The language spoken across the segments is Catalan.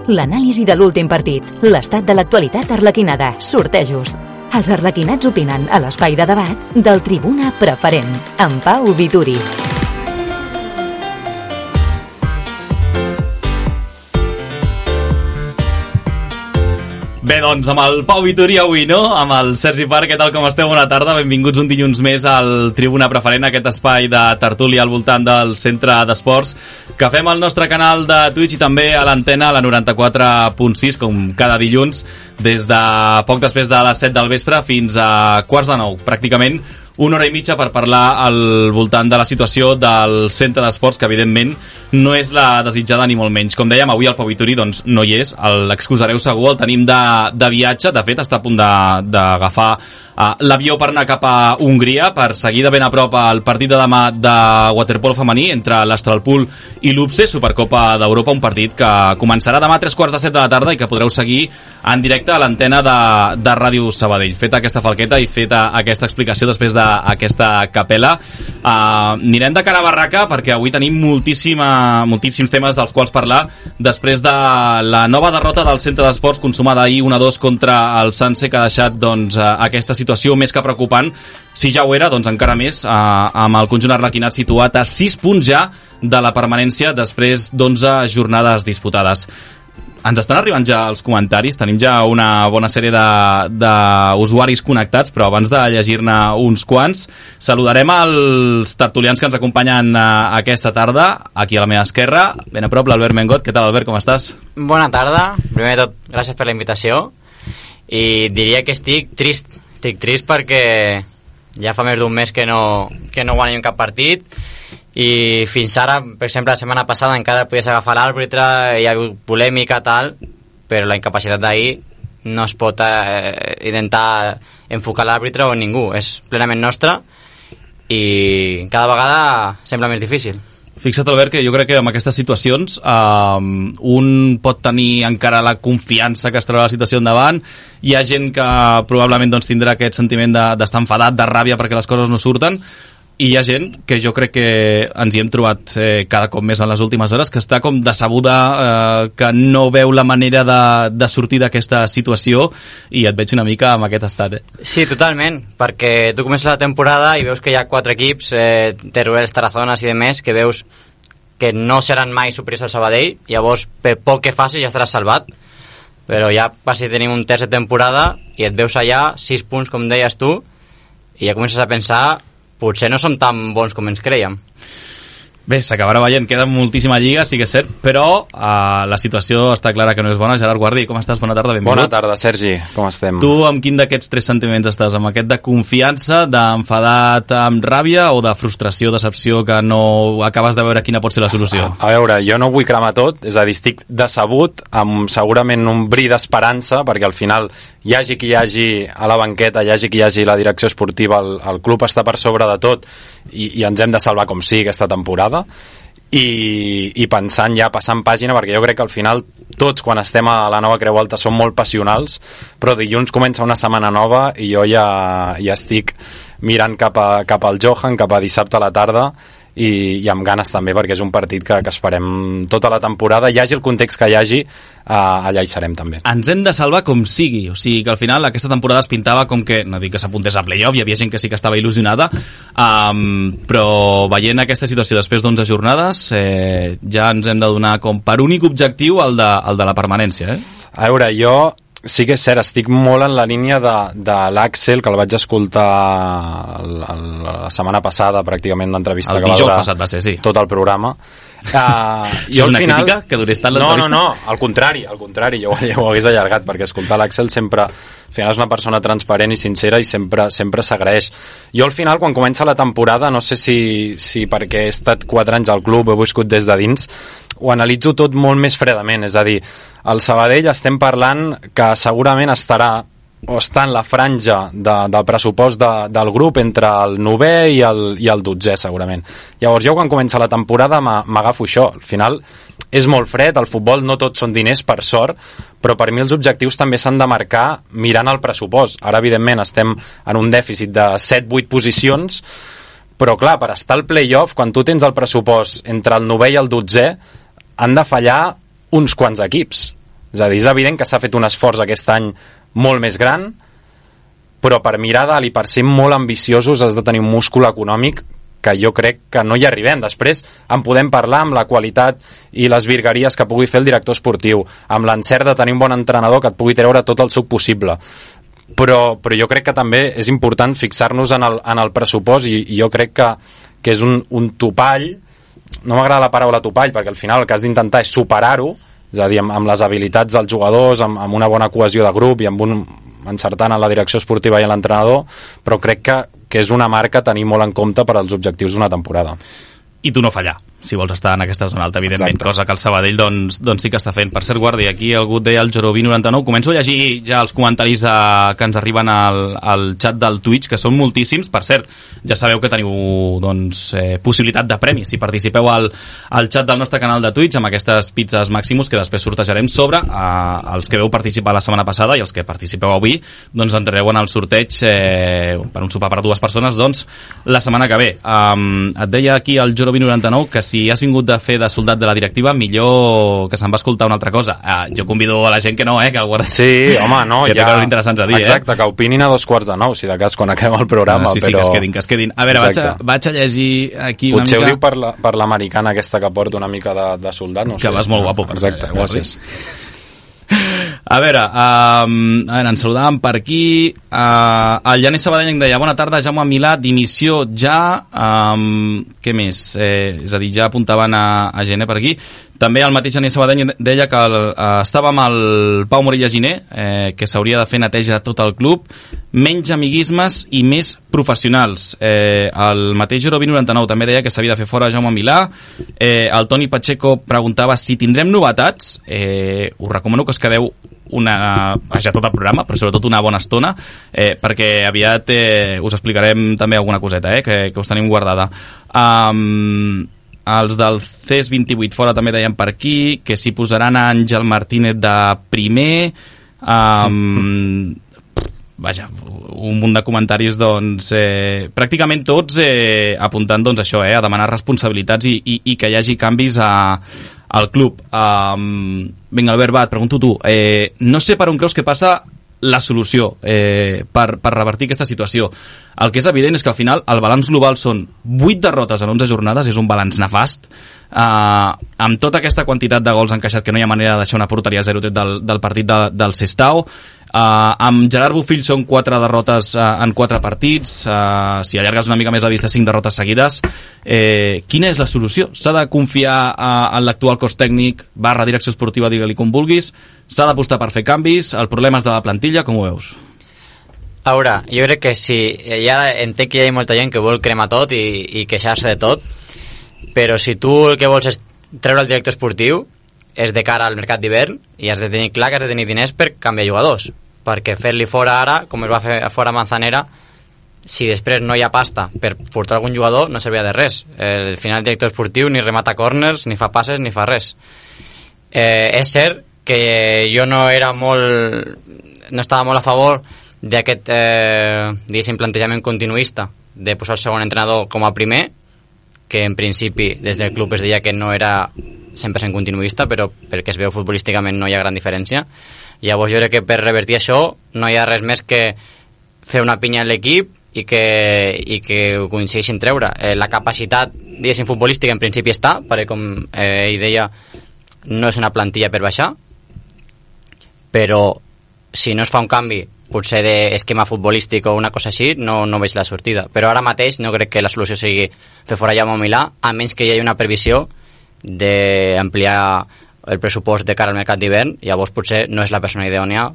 L'anàlisi de l'últim partit, l'estat de l'actualitat arlequinada, sortejos. Els arlequinats opinen a l'espai de debat del Tribuna Preferent, amb Pau Vituri. Bé, doncs, amb el Pau Vituri avui, no? Amb el Sergi Parc, què tal, com esteu? Bona tarda, benvinguts un dilluns més al Tribuna Preferent, aquest espai de tertúlia al voltant del Centre d'Esports, que fem al nostre canal de Twitch i també a l'antena, a la 94.6, com cada dilluns, des de poc després de les 7 del vespre fins a quarts de 9, pràcticament una hora i mitja per parlar al voltant de la situació del Centre d'Esports, que evidentment no és la desitjada ni molt menys. Com dèiem, avui el Pau Vituri doncs, no hi és, l'excusareu segur, el tenim de viatge, de fet està a punt d'agafar l'avió per anar cap a Hongria per seguir de ben a prop el partit de demà de waterpolo femení entre l'Astralpool i l'UPSE, Supercopa d'Europa, un partit que començarà demà a 3:45 de la tarda i que podreu seguir en directe a l'antena de Ràdio Sabadell. Feta aquesta falqueta i feta aquesta explicació després d'aquesta capella, anirem de cara a barraca perquè avui tenim moltíssims temes dels quals parlar després de la nova derrota del Centre d'Esports consumada ahir 1-2 contra el Sanse, que ha deixat doncs, aquesta situació més que preocupant. Si ja ho era, doncs encara més, amb el conjunt arlequinat situat a 6 punts ja de la permanència després d'11 jornades disputades. Ens estan arribant ja els comentaris, tenim ja una bona sèrie d'usuaris connectats, però abans de llegir-ne uns quants, saludarem els tertulians que ens acompanyen aquesta tarda, aquí a la meva esquerra, ben a prop, l'Albert Mengot. Què tal, Albert, com estàs? Bona tarda, primer de tot, gràcies per la invitació, i diria que estic trist perquè ja fa més d'un mes que no guanyem cap partit, i fins ara, per exemple, la setmana passada encara podies agafar l'àrbitre, hi ha hagut polèmica tal, però la incapacitat d'ahir no es pot intentar enfocar l'àrbitre o ningú, és plenament nostra i cada vegada sembla més difícil. Fixa't, Albert, que jo crec que amb aquestes situacions un pot tenir encara la confiança que es troba la situació endavant. Hi ha gent que probablement doncs, tindrà aquest sentiment d'estar enfadat, de ràbia perquè les coses no surten, i hi ha gent que jo crec que ens hi hem trobat cada cop més en les últimes hores, que està com decebuda, que no veu la manera de sortir d'aquesta situació, i et veig una mica amb aquest estat. Sí, totalment, perquè tu comences la temporada i veus que hi ha 4 equips, Teruel, Tarazonas i demés, que veus que no seran mai superiors al Sabadell, llavors per poc que facis ja estaràs salvat, però ja quasi tenim un terç de temporada i et veus allà 6 punts, com deies tu, i ja comences a pensar potser no som tan bons com ens creiem. Bé, s'acabarà veient, queda moltíssima lliga, sí que és cert, però la situació està clara que no és bona. Gerard Guardi, com estàs? Bona tarda, benvingut. Bona tarda, Sergi, com estem? Tu amb quin d'aquests 3 sentiments estàs? Amb aquest de confiança, d'enfadat amb ràbia o de frustració, decepció, que no acabes de veure quina pot ser la solució? A veure, jo no vull cremar tot, és a dir, estic decebut, amb segurament un bri d'esperança, perquè al final hi hagi qui hi hagi a la banqueta, hi hagi qui hi hagi la direcció esportiva, el club està per sobre de tot i ens hem de salvar com sigui aquesta temporada, i pensant ja, passant pàgina, perquè jo crec que al final tots quan estem a la nova Creu Alta som molt passionals, però dilluns comença una setmana nova i jo ja estic mirant cap al Johan, cap a dissabte a la tarda, i amb ganes també, perquè és un partit que esperem tota la temporada, hi hagi el context que hi hagi, allà hi serem també. Ens hem de salvar com sigui, o sigui que al final aquesta temporada es pintava com que, no dic que s'apuntés a playoff, hi havia gent que sí que estava il·lusionada, però veient aquesta situació després d'11 jornades ja ens hem de donar com per únic objectiu el de la permanència. A veure, jo sí que és cert, estic molt en la línia de l'Àxel, que el vaig escoltar la setmana passada, pràcticament l'entrevista que va durar passat va ser, sí. Tot el programa. Jo al final... crítica que durés tant l'entrevista? No, al contrari, jo ho hagués allargat, perquè escoltar l'Àxel sempre, al final és una persona transparent i sincera i sempre s'agraeix. Jo al final, quan comença la temporada, no sé si perquè he estat 4 anys al club, he viscut des de dins, ho analitzo tot molt més fredament, és a dir, el Sabadell estem parlant que segurament estarà o està en la franja del pressupost del grup entre el 9è i el 12è segurament. Llavors jo quan comença la temporada m'agafo això, al final és molt fred, el futbol no tots són diners per sort, però per mi els objectius també s'han de marcar mirant el pressupost. Ara evidentment estem en un dèficit de 7-8 posicions, però clar, per estar al play-off, quan tu tens el pressupost entre el 9è i el 12è, han de fallar uns quants equips. És a dir, és evident que s'ha fet un esforç aquest any molt més gran, però per mirar dalt i per ser molt ambiciosos has de tenir un múscul econòmic que jo crec que no hi arribem. Després en podem parlar amb la qualitat i les virgueries que pugui fer el director esportiu, amb l'encert de tenir un bon entrenador que et pugui treure tot el suc possible. Però jo crec que també és important fixar-nos en el pressupost i jo crec que és un topall. No m'agrada la paraula topall perquè al final el que has d'intentar és superar-ho, és a dir, amb les habilitats dels jugadors, amb una bona cohesió de grup i encertant en la direcció esportiva i en l'entrenador, però crec que és una marca a tenir molt en compte per als objectius d'una temporada. I tu no fallar, si vols estar en aquesta zona alta, evidentment. Exacte. Cosa que el Sabadell doncs sí que està fent. Per cert, Guardi, aquí algú et deia el Joroví99. Començo a llegir ja els comentaris que ens arriben al xat del Twitch, que són moltíssims. Per cert, ja sabeu que teniu possibilitat de premis si participeu al xat del nostre canal de Twitch amb aquestes pizzas Maximus que després sortejarem sobre els que veu participar la setmana passada i els que participeu avui, doncs entrereu en el sorteig per un sopar per 2 persones doncs la setmana que ve. Et deia aquí el Joroví99 que si has vingut de fer de soldat de la directiva, millor que se'n va escoltar una altra cosa. Jo convido a la gent que no, que el guardi. Sí, home, no, que té coses interessants a dir. Exacte, que opinin a 2:45, si de cas, quan acabem el programa. Sí, però... que es quedin. A veure, vaig a llegir aquí potser una mica... Potser ho diu per l'americana aquesta que porta una mica de soldat, no sé. Que vas molt guapo. Exacte, gràcies. A veure, ens saludàvem per aquí. El Llaner Sabadell em deia: bona tarda, Jaume Milà, dimissió ja. Què més? És a dir, ja apuntaven a Gené per aquí. També el mateix Llaner Sabadell deia que estava amb el Pau Morella Giner, que s'hauria de fer neteja a tot el club, menys amiguismes i més professionals. El mateix Joroví99 també deia que s'havia de fer fora Jaume Milà. El Toni Pacheco preguntava si tindrem novetats. Us recomano que us quedeu tot el programa, però sobretot una bona estona, perquè aviat us explicarem també alguna coseta, que us tenim guardada. Els del CES28 fora també deien per aquí que s'hi posaran a Àngel Martínez de primer. Vaja, un munt de comentaris doncs, pràcticament tots apuntant doncs, això, a demanar responsabilitats i que hi hagi canvis al club. Vinga, Albert, va, et pregunto tu. No sé per on creus que passa la solució per revertir aquesta situació. El que és evident és que al final el balanç global són 8 derrotes en 11 jornades, és un balanç nefast, amb tota aquesta quantitat de gols encaixat que no hi ha manera de deixar una porteria 0 tret del partit del Sestao. Amb Gerard Bofill són 4 derrotes en 4 partits. Si allargues una mica més la vista, 5 derrotes seguides. Quina és la solució? S'ha de confiar en l'actual cos tècnic / direcció esportiva, digue-li com vulguis? S'ha d'apostar per fer canvis? El problema és de la plantilla? Com ho veus? A veure, jo crec que sí. Ja entenc que hi ha molta gent que vol cremar tot i queixar-se de tot, però si tu el que vols és treure el director esportiu, és de cara al mercat d'hivern i has de tenir clar que has de tenir diners per canviar jugadors, perquè fer-li fora ara, com es va fer fora Manzanera, si després no hi ha pasta per portar algun jugador, no servia de res. Al final el director esportiu ni remata corners, ni fa passes, ni fa res. És cert que jo no estava molt a favor d'aquest diguéssim plantejament continuista de posar el segon entrenador com a primer, que en principi des del club es deia que no era 100% continuista, però perquè es veu futbolísticament no hi ha gran diferència. Llavors jo crec que per revertir això no hi ha res més que fer una pinya en l'equip i que ho coincideixin treure. La capacitat, diguéssim, futbolística en principi està, perquè com ell deia, no és una plantilla per baixar, però si no es fa un canvi potser d'esquema futbolístic o una cosa així, no veig la sortida. Però ara mateix no crec que la solució sigui fer fora Jaume Milà, a menys que hi hagi una previsió d'ampliar el pressupost de cara al mercat d'hivern. Llavors potser no és la persona idònia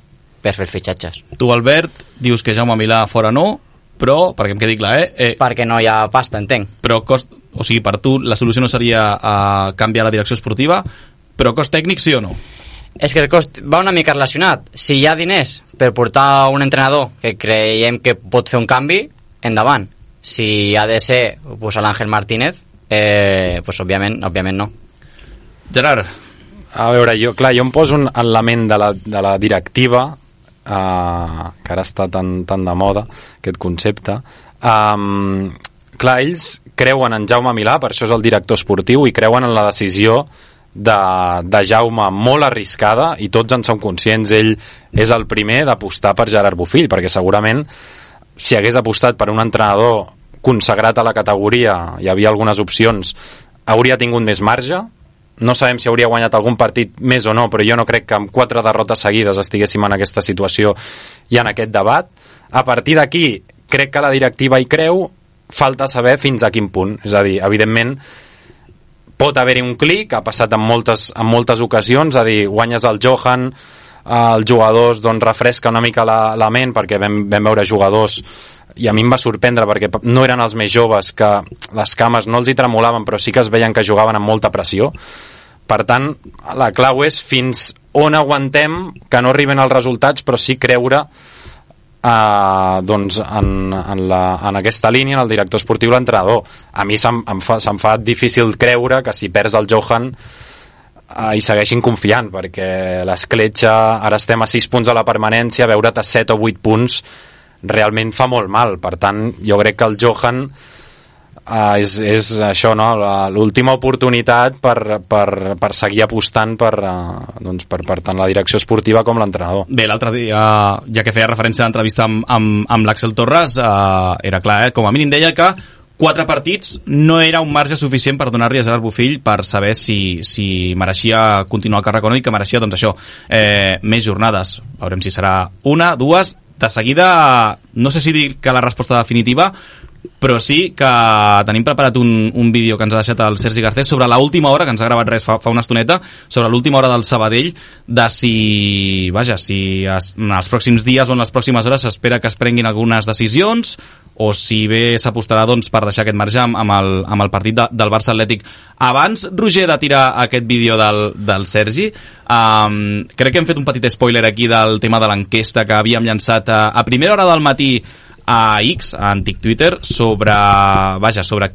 per fer fitxatges. Tu, Albert, dius que Jaume Milà fora no, però, perquè em quedi clar, perquè no hi ha pasta, entenc. Però o sigui, per tu la solució no seria canviar la direcció esportiva, però cost tècnic sí o no? És que el cost va una mica relacionat. Si hi ha diners per portar un entrenador que creiem que pot fer un canvi, endavant. Si ha de ser pues, l'Àngel Martínez, pues, òbviament no. Gerard. A veure, jo em poso en la ment de la directiva, que ara està tan de moda aquest concepte. Ells creuen en Jaume Milà, per això és el director esportiu, i creuen en la decisió de Jaume molt arriscada, i tots en som conscients. Ell és el primer d'apostar per Gerard Bofill, perquè segurament si hagués apostat per un entrenador consagrat a la categoria, hi havia algunes opcions, hauria tingut més marge. No sabem si hauria guanyat algun partit més o no, però jo no crec que amb 4 derrotes seguides estiguéssim en aquesta situació i en aquest debat. A partir d'aquí, crec que la directiva hi creu, falta saber fins a quin punt. És a dir, evidentment, pot haver-hi un clic, ha passat en moltes ocasions, a dir, guanyes el Johan, els jugadors doncs refresca una mica la ment, perquè vam veure jugadors, i a mi em va sorprendre perquè no eren els més joves, que les cames no els hi tremolaven, però sí que es veien que jugaven amb molta pressió. Per tant, la clau és fins on aguantem que no arriben els resultats, però sí creure doncs en aquesta línia, en el director esportiu, l'entrenador. A mi se'm fa difícil creure que si perds el Johan hi segueixin confiant, perquè l'escletxa, ara estem a 6 punts a la permanència, veure't a 7 o 8 punts realment fa molt mal. Per tant, jo crec que el Johan és això, no? L'última oportunitat per seguir apostant per tant la direcció esportiva com l'entrenador. Bé, l'altre dia, ja que feia referència a l'entrevista amb l'Àxel Torres, era clar, com a mínim deia que 4 partits no era un marge suficient per donar-li a Gerard Bofill per saber si mereixia continuar el càrrec o no, i que mereixia, doncs això, més jornades. Veurem si serà 1, 2. De seguida, no sé si dir que la resposta definitiva, però sí que tenim preparat un vídeo que ens ha deixat el Sergi Garcés sobre l'última hora, que ens ha gravat res fa una estoneta, sobre l'última hora del Sabadell, de si en els pròxims dies o en les pròximes hores s'espera que es prenguin algunes decisions, o si bé s'apostarà doncs, per deixar aquest marge amb el partit del Barça Atlètic. Abans, Roger, de tirar aquest vídeo del Sergi, crec que hem fet un petit spoiler aquí del tema de l'enquesta que havíem llançat a primera hora del matí a X, a antic Twitter, sobre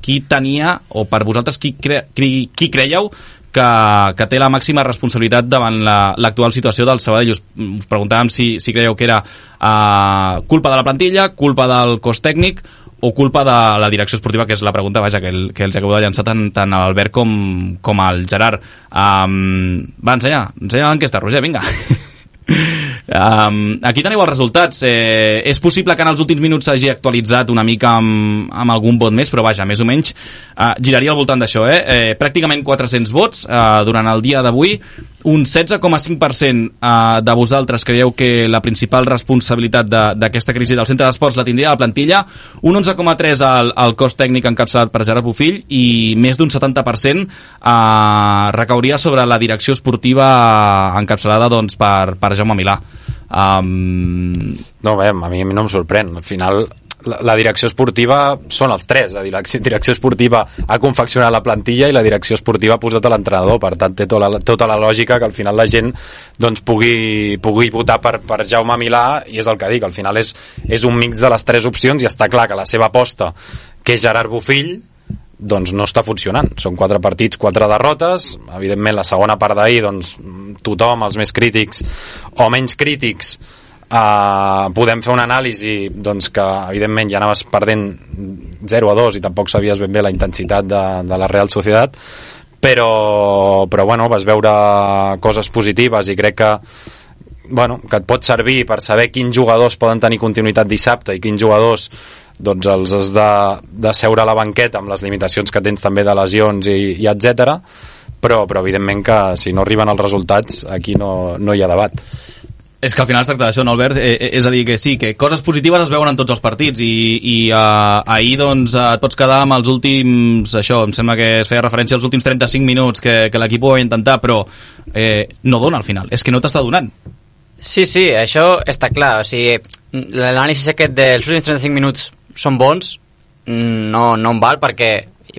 qui tenia, o per vosaltres qui creieu que té la màxima responsabilitat davant l'actual situació del Sabadell. Us preguntàvem si creieu que era culpa de la plantilla, culpa del cos tècnic o culpa de la direcció esportiva, que és la pregunta que els acabo de llançar tant a l'Albert com al Gerard. Va, ensenya l'enquesta, Roger, vinga. Aquí teniu els resultats. És possible que en els últims minuts s'hagi actualitzat una mica amb algun vot més, però vaja, més o menys giraria al voltant d'això. Pràcticament 400 vots durant el dia d'avui. Un 16,5% de vosaltres creieu que la principal responsabilitat d'aquesta crisi del centre d'esports la tindria la plantilla, un 11,3% al cos tècnic encapçalat per Gerard Bofill, i més d'un 70% recauria sobre la direcció esportiva encapçalada doncs, per Jaume Milà. No, bé, a mi no em sorprèn. Al final la direcció esportiva són els tres. La direcció esportiva ha confeccionat la plantilla i la direcció esportiva ha posat a l'entrenador. Per tant, té tota la lògica que al final la gent doncs, pugui votar per Jaume Milà, i és el que dic, al final és un mix de les tres opcions, i està clar que la seva aposta, que és Gerard Bofill, doncs no està funcionant. Són 4 partits, 4 derrotes. Evidentment, la segona part d'ahir, doncs, tothom, els més crítics o menys crítics, podem fer una anàlisi doncs, que evidentment ja anaves perdent 0-2 i tampoc sabies ben bé la intensitat de la Real Sociedad, però bueno, vas veure coses positives, i crec que et pot servir per saber quins jugadors poden tenir continuïtat dissabte i quins jugadors doncs els has de seure a la banqueta amb les limitacions que tens també de lesions i etc. Però evidentment que si no arriben els resultats aquí no hi ha debat. És que al final es tracta d'això, no, Albert? És a dir, que sí, que coses positives es veuen en tots els partits, i ahir doncs et pots quedar amb els últims, això, em sembla que es feia referència als últims 35 minuts que l'equip ho va intentar, però no dona al final, és que no t'està donant. Sí, això està clar. O sigui, l'anàlisi aquest dels últims 35 minuts són bons, no em val, perquè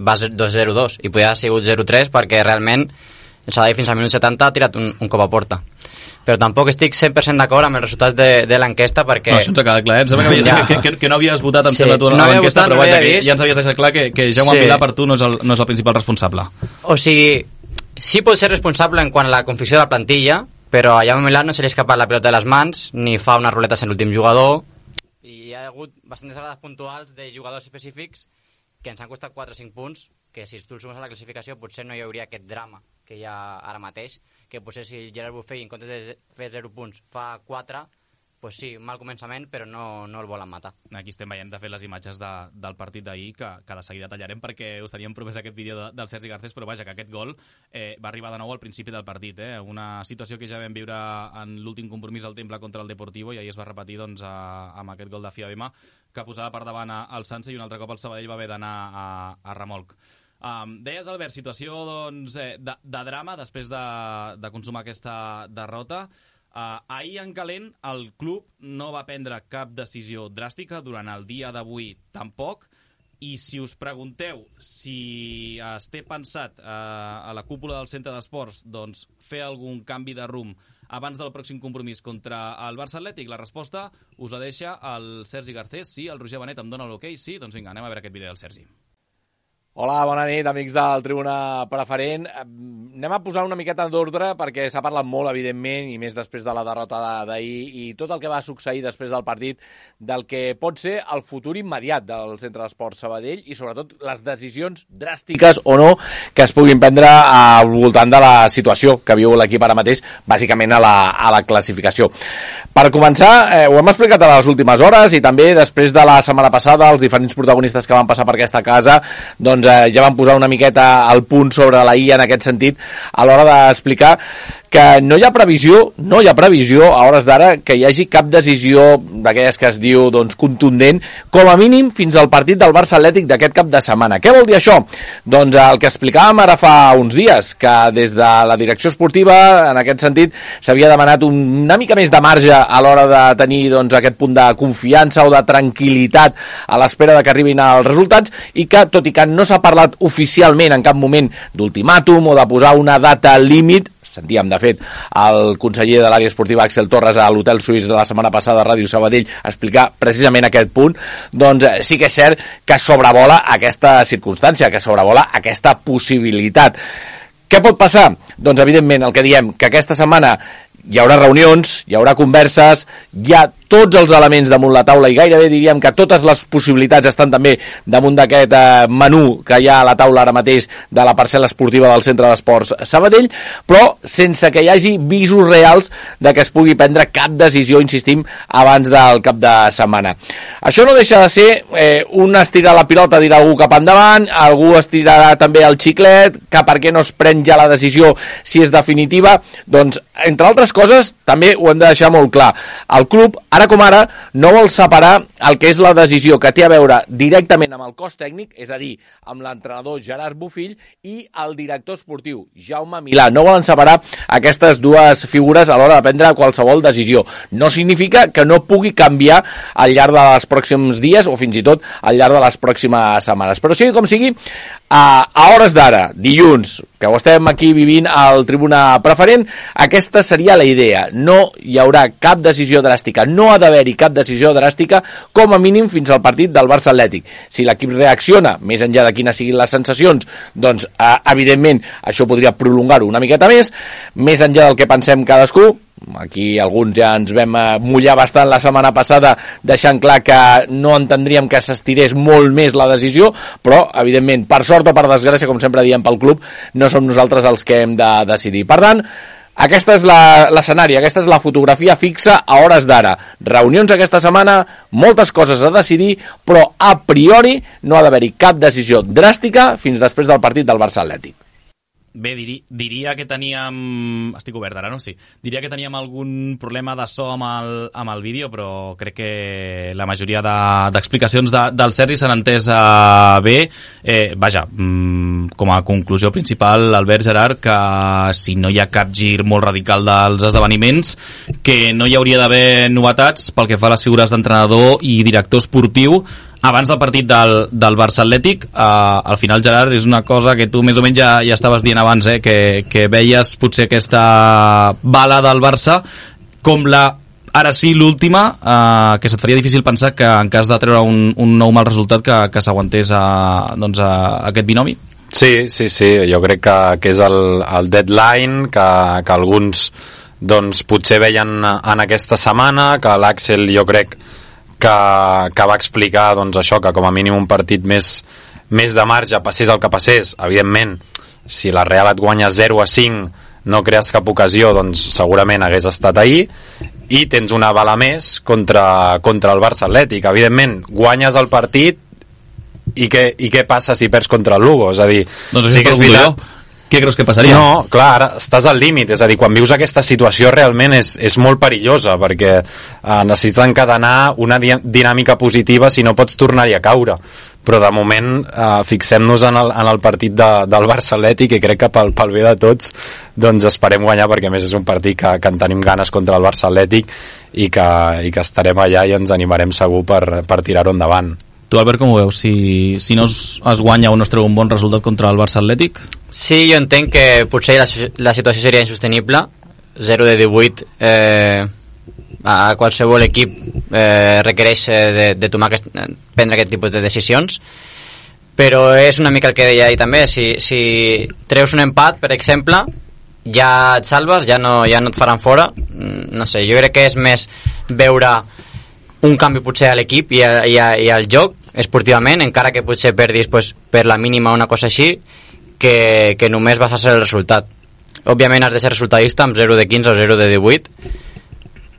vas 2-0-2 i podia haver sigut 0-3, perquè realment el Sabadell fins al minut 70 ha tirat un cop a porta. Però tampoc estic 100% d'acord amb els resultats de l'enquesta, perquè... No, això ens ha quedat clar, Em sembla que no havies votat, em sembla, tu, a l'enquesta, però vaja, que ja ens havies deixat clar que Jaume Milà per tu no és el principal responsable. O sigui, sí pot ser responsable en quant a la confecció de la plantilla, però a Jaume Milà no se li escapa la pilota de les mans, ni fa unes ruletes en l'últim jugador, i hi ha hagut bastantes errades puntuals de jugadors específics que ens han costat 4 o 5 punts que si tu el sumes a la classificació potser no hi hauria aquest drama que hi ha ara mateix, que potser si Gerard Buffet en comptes de fer 0 punts fa 4, pues sí, mal començament, però no el volen matar. Aquí estem veient, de fet, les imatges del partit d'ahir, que de seguida tallarem, perquè us teníem promès aquest vídeo del Sergi Garcés, però vaja, que aquest gol va arribar de nou al principi del partit. Una situació que ja vam viure en l'últim compromís al Temple contra el Deportivo, i ahir es va repetir doncs, amb aquest gol de Fiabema, que posava per davant al Sanse, i un altre cop el Sabadell va haver d'anar a remolc. Deies, Albert, situació doncs, de drama després de consumar aquesta derrota. Ahir en calent el club no va prendre cap decisió dràstica, durant el dia d'avui tampoc, i si us pregunteu si es té pensat a la cúpula del centre d'esports doncs, fer algun canvi de rumb abans del pròxim compromís contra el Barça Atlètic, la resposta us la deixa el Sergi Garcés. Sí, el Roger Benet em dona l'ok, sí? Doncs vinga, anem a veure aquest vídeo del Sergi. Hola, bona nit, amics del Tribuna Preferent. Anem a posar una miqueta d'ordre perquè s'ha parlat molt, evidentment, i més després de la derrota d'ahir i tot el que va succeir després del partit, del que pot ser el futur immediat del Centre d'Esports Sabadell i sobretot les decisions dràstiques o no que es puguin prendre al voltant de la situació que viu l'equip ara mateix, bàsicament a la classificació. Per començar, ho hem explicat a les últimes hores i també després de la setmana passada els diferents protagonistes que van passar per aquesta casa doncs ja van posar una miqueta al punt sobre la I en aquest sentit a l'hora d'explicar que no hi ha previsió a hores d'ara que hi hagi cap decisió d'aquelles que es diu doncs, contundent, com a mínim fins al partit del Barça Atlètic d'aquest cap de setmana. Què vol dir això? Doncs el que explicàvem ara fa uns dies, que des de la direcció esportiva, en aquest sentit, s'havia demanat una mica més de marge a l'hora de tenir doncs, aquest punt de confiança o de tranquil·litat a l'espera de que arribin els resultats i que, tot i que no s'ha parlat oficialment en cap moment d'ultimàtum o de posar una data límit, sentíem, de fet, el conseller de l'àrea esportiva Axel Torres a l'Hotel Suís de la setmana passada a Ràdio Sabadell explicar precisament aquest punt, doncs sí que és cert que sobrevola aquesta circumstància, que sobrevola aquesta possibilitat. Què pot passar? Doncs, evidentment, el que diem, que aquesta setmana hi haurà reunions, hi haurà converses, hi ha tots els elements damunt la taula i gairebé diríem que totes les possibilitats estan també damunt d'aquest menú que hi ha a la taula ara mateix de la parcel·la esportiva del Centre d'Esports Sabadell, però sense que hi hagi visos reals de que es pugui prendre cap decisió, insistim, abans del cap de setmana. Això no deixa de ser un estirar la pilota, dir algú cap endavant, algú estirarà també el xiclet, que per què no es pren ja la decisió si és definitiva, doncs, entre altres coses, també ho hem de deixar molt clar. El club, ara com ara, no vol separar el que és la decisió que té a veure directament amb el cos tècnic, és a dir, amb l'entrenador Gerard Bofill i el director esportiu Jaume Milà. No volen separar aquestes dues figures a l'hora de prendre qualsevol decisió. No significa que no pugui canviar al llarg dels pròxims dies o fins i tot al llarg de les pròximes setmanes. Però sigui com sigui, a hores d'ara, dilluns, que ho estem aquí vivint al Tribuna Preferent, aquesta seria la idea. No hi haurà cap decisió dràstica, no ha d'haver-hi cap decisió dràstica, com a mínim fins al partit del Barça Atlètic. Si l'equip reacciona, més enllà de quines siguin les sensacions, doncs evidentment això podria prolongar-ho una miqueta més enllà del que pensem cadascú. Aquí alguns ja ens vam mullar bastant la setmana passada deixant clar que no entendríem que s'estirés molt més la decisió, però evidentment, per sort o per desgràcia, com sempre diem pel club, no som nosaltres els que hem de decidir. Per tant, aquesta és l'escenari, aquesta és la fotografia fixa a hores d'ara. Reunions aquesta setmana, moltes coses a decidir, però a priori no ha d'haver-hi cap decisió dràstica fins després del partit del Barça Atlètic. Bé, diria que teníem... Estic obert ara, no? Sí. Diria que teníem algun problema de so amb el vídeo, però crec que la majoria d'explicacions del Sergi s'han entès bé. Vaja, com a conclusió principal, Albert, Gerard, que si no hi ha cap gir molt radical dels esdeveniments, que no hi hauria d'haver novetats pel que fa a les figures d'entrenador i director esportiu abans del partit del Barça Atlètic. Al final, Gerard, és una cosa que tu més o menys ja estaves dient abans, que veies potser aquesta bala del Barça com ara sí l'última, que se't faria difícil pensar que en cas de treure un nou mal resultat que s'aguantés aquest binomi? Sí, jo crec que és el deadline que alguns doncs, potser veien en aquesta setmana, que l'Àxel jo crec que va explicar doncs, això, que com a mínim un partit més més de marge, passés el que passés. Evidentment, si la Real et guanya 0-5, no crees cap ocasió, doncs segurament hagués estat ahir, i tens una bala més contra el Barça Atlètic. Evidentment, guanyes el partit i què passa si perds contra el Lugo? És a dir, doncs sí que és veritat. Què creus que passaria? No, clar, ara estàs al límit, és a dir, quan vius aquesta situació realment és molt perillosa, perquè necessites encadenar una dinàmica positiva, si no pots tornar-hi a caure. Però de moment fixem-nos en el partit del Barça Atlètic, i crec que pel bé de tots doncs esperem guanyar, perquè a més és un partit que en tenim ganes contra el Barça Atlètic, i que estarem allà i ens animarem segur per tirar-ho endavant. Tu, Albert, com ho veus? Si no es guanya o no es treu un bon resultat contra el Barça Atlètic? Sí, jo entenc que potser la situació seria insostenible. 0 de 18 a qualsevol equip requereix de prendre aquest tipus de decisions, però és una mica el que deia ahir també. Si treus un empat, per exemple, ja et salves, ja no et faran fora. No sé, jo crec que és més veure un canvi potser a l'equip i al joc esportivament, encara que potser perdis per la mínima o una cosa així, que només basar-se el resultat. Òbviament has de ser resultadista amb 0 de 15 o 0 de 18,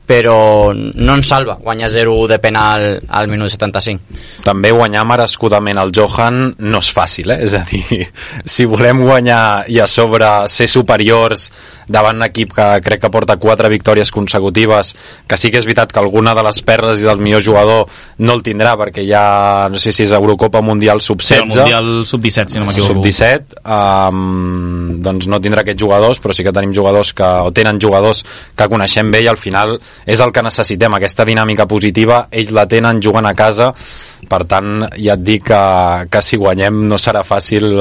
però no ens salva guanyar 0 de penal al minut 75. També guanyar merescudament el Johan no és fàcil, és a dir, si volem guanyar i a sobre ser superiors davant un equip que crec que porta 4 victòries consecutives, que sí que és veritat que alguna de les perles i del millor jugador no el tindrà, perquè ja no sé si és Eurocopa Mundial Sub-16, sí, el Mundial Sub-17, si no m'equivoco. Sub-17, doncs no tindrà aquests jugadors, però sí que tenim jugadors tenen jugadors que coneixem bé, i al final és el que necessitem, aquesta dinàmica positiva. Ells la tenen, juguen a casa, per tant ja et dic que si guanyem no serà fàcil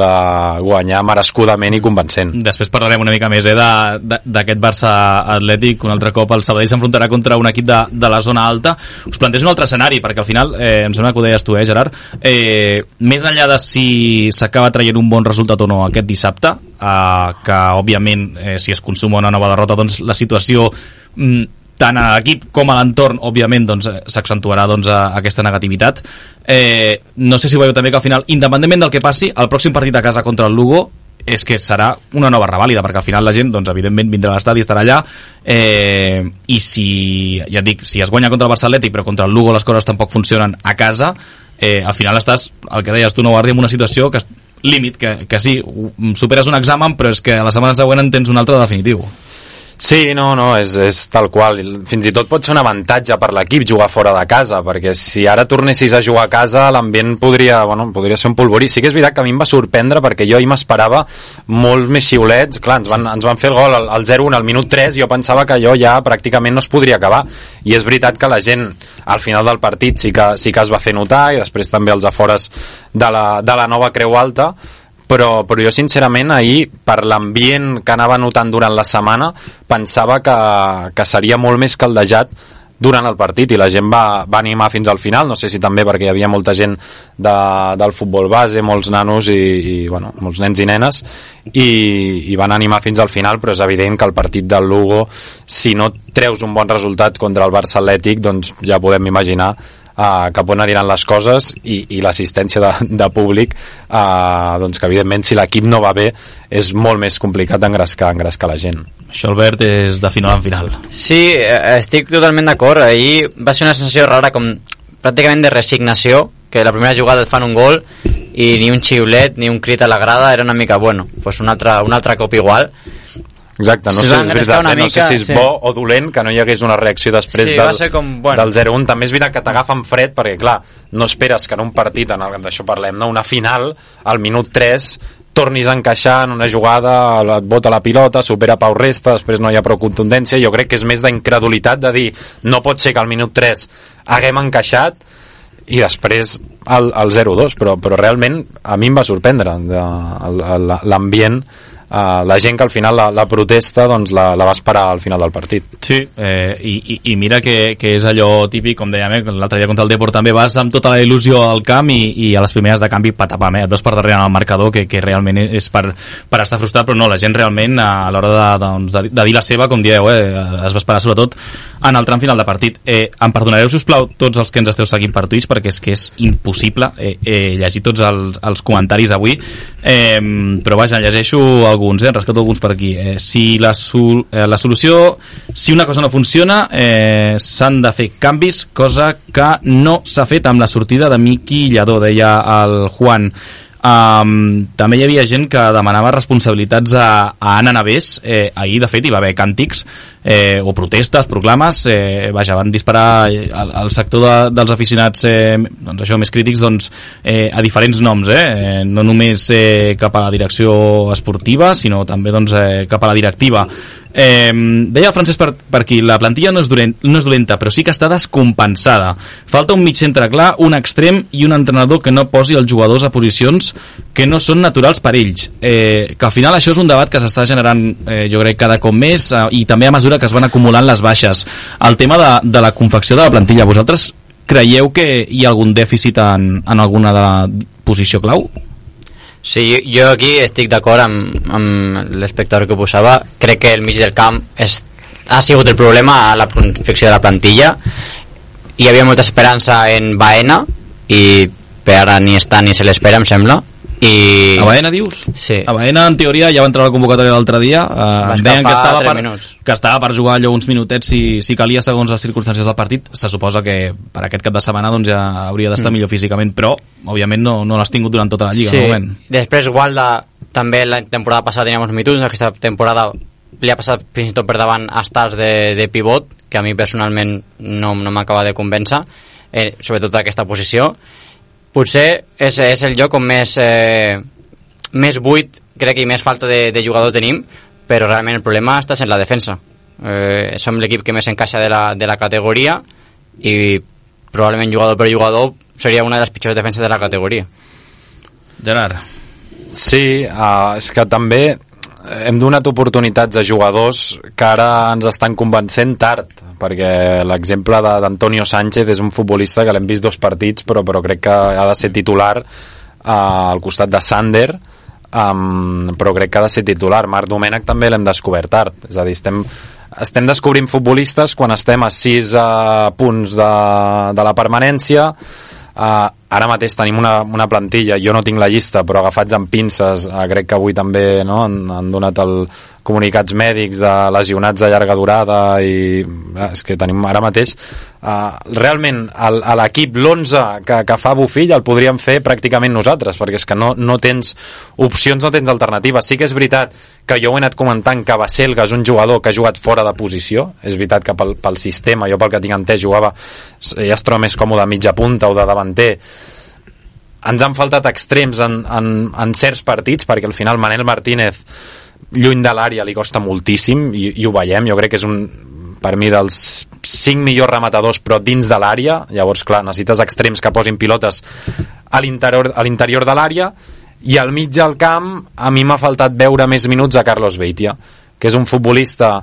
guanyar merescudament i convencent. Després parlarem una mica més d'aquest Barça Atlètic. Un altre cop el Sabadell s'enfrontarà contra un equip de la zona alta. Us plantejo un altre escenari, perquè al final em sembla que ho deies tu, Gerard, més enllà de si s'acaba traient un bon resultat o no aquest dissabte, que òbviament si es consuma una nova derrota, doncs la situació tant a l'equip com a l'entorn òbviament doncs, s'accentuarà doncs, aquesta negativitat. No sé si veieu també que al final, independentment del que passi, el pròxim partit a casa contra el Lugo és que serà una nova revàlida, perquè al final la gent, doncs, evidentment, vindrà a l'estadi i estarà allà, i si, ja et dic, si es guanya contra el Barça Atlètic però contra el Lugo les coses tampoc funcionen a casa, al final estàs, el que deies tu, no, Guardi, en una situació que límit, que sí, superes un examen, però és que a la setmana següent en tens un altre definitiu. Sí, no, és tal qual. Fins i tot pot ser un avantatge per l'equip jugar fora de casa, perquè si ara tornessis a jugar a casa l'ambient podria ser un polvorí. Sí que és veritat que a mi em va sorprendre, perquè jo ahir m'esperava molt més xiulets. Clar, ens van fer el gol al 0-1 al minut 3, jo pensava que allò ja pràcticament no es podria acabar, i és veritat que la gent al final del partit sí que es va fer notar, i després també als afores de la nova Creu Alta, però jo sincerament ahir, per l'ambient que anava notant durant la setmana, pensava que seria molt més caldejat durant el partit, i la gent va animar fins al final. No sé si també perquè hi havia molta gent del futbol base, molts nanos i molts nens i nenes, i van animar fins al final, però és evident que el partit del Lugo, si no treus un bon resultat contra el Barça Atlètic, doncs ja podem imaginar cap on aniran les coses, i l'assistència de públic, doncs que evidentment si l'equip no va bé és molt més complicat d'engrescar la gent. Això, Albert, és de final en final. Sí, estic totalment d'acord. Ahir va ser una sensació rara, com pràcticament de resignació, que la primera jugada et fan un gol i ni un xiulet ni un crit a la grada, era una mica, pues un altre cop igual. Exacte, no sé, és veritat, no sé si és bo o dolent que no hi hagués una reacció després del 0-1. També és veritat que t'agafen fred, perquè clar, no esperes que en un partit, d'això parlem, no? Una final, al minut 3 tornis a encaixar en una jugada, et bota la pilota, supera Pau Resta, després no hi ha prou contundència. Jo crec que és més d'incredulitat de dir, no pot ser que al minut 3 haguem encaixat i després el 0-2, però realment a mi em va sorprendre l'ambient la gent que al final la protesta doncs la va esperar al final del partit. Sí, i mira que és allò típic, com dèiem, l'altre dia contra el Depor també vas amb tota la il·lusió al camp i a les primeres de canvi patapam, et vas per darrere en el marcador, que realment és per estar frustrat, però no, la gent realment a l'hora de dir la seva, com dieu, es va esperar sobretot en el tram final de partit. Em perdonareu, sisplau, tots els que ens esteu seguint per Twitch, perquè és que és impossible llegir tots els comentaris avui, però vaja, llegeixo alguns, rescato alguns per aquí. Si la solució, si una cosa no funciona, s'han de fer canvis, cosa que no s'ha fet amb la sortida de Miqui Lladó, deia el Juan. També hi havia gent que demanava responsabilitats a Anna Navés. Ahir de fet hi va haver càntics o protestes, proclames, vaja, van disparar al sector dels aficionats doncs això, més crítics, doncs, a diferents noms, no només cap a la direcció esportiva, sinó també doncs, cap a la directiva. Deia el Francesc per aquí, la plantilla no és dolenta, però sí que està descompensada. Falta un mig centre clar, un extrem i un entrenador que no posi els jugadors a posicions que no són naturals per ells, que al final això és un debat que s'està generant, jo crec, cada cop més, i també a mesura que es van acumulant les baixes. El tema de la confecció de la plantilla, vosaltres creieu que hi ha algun dèficit en alguna de la posició clau? Sí, jo aquí estic d'acord amb l'espectador que posava. Crec que el mig del camp ha sigut el problema a la confecció de la plantilla. Hi havia molta esperança en Baena i per ara ni està ni se l'espera, em sembla. A Baena, dius? Sí. A Baena, en teoria, ja va entrar a la convocatòria l'altre dia, deien que estava per jugar allò uns minutets si calia segons les circumstàncies del partit. Se suposa que per aquest cap de setmana doncs, ja hauria d'estar millor físicament, però òbviament no l'has tingut durant tota la lliga. Sí. No? Després Gualda també la temporada passada tenia uns minuts, aquesta temporada li ha passat fins i tot per davant a Stars de pivot, que a mi personalment no m'acaba de convèncer, sobretot aquesta posició. Potser és el lloc on més buit, crec que més falta de jugador tenim, però realment el problema està en la defensa. Som l'equip que més encaixa de la categoria i probablement jugador per jugador seria una de les pitjors defenses de la categoria. Gerard. Sí, és que també hem donat oportunitats a jugadors que ara ens estan convencent tard, perquè l'exemple d'Antonio Sánchez és un futbolista que l'hem vist 2 partits però crec que ha de ser titular al costat de Sander, però crec que ha de ser titular. Marc Domènech també l'hem descobert tard, és a dir, estem descobrint futbolistes quan estem a 6 punts de la permanència. Ara mateix tenim una plantilla, jo no tinc la llista, però agafats amb pinces, crec que avui també han donat comunicats mèdics de lesionats de llarga durada, i és que tenim ara mateix realment l'equip, l'11 que fa Bofill el podríem fer pràcticament nosaltres, perquè és que no tens opcions, no tens alternatives. Sí que és veritat que jo ho he anat comentant que Baselga és un jugador que ha jugat fora de posició, és veritat que pel sistema, jo pel que tinc entès jugava, ja es troba més còmode a mitja punta o de davanter. Ens han faltat extrems en certs partits, perquè al final Manel Martínez lluny de l'àrea li costa moltíssim, i ho veiem. Jo crec que és per mi dels 5 millors rematadors, però dins de l'àrea. Llavors, clar, necessites extrems que posin pilotes a l'interior de l'àrea, i al mig del camp a mi m'ha faltat veure més minuts a Carlos Beitia, que és un futbolista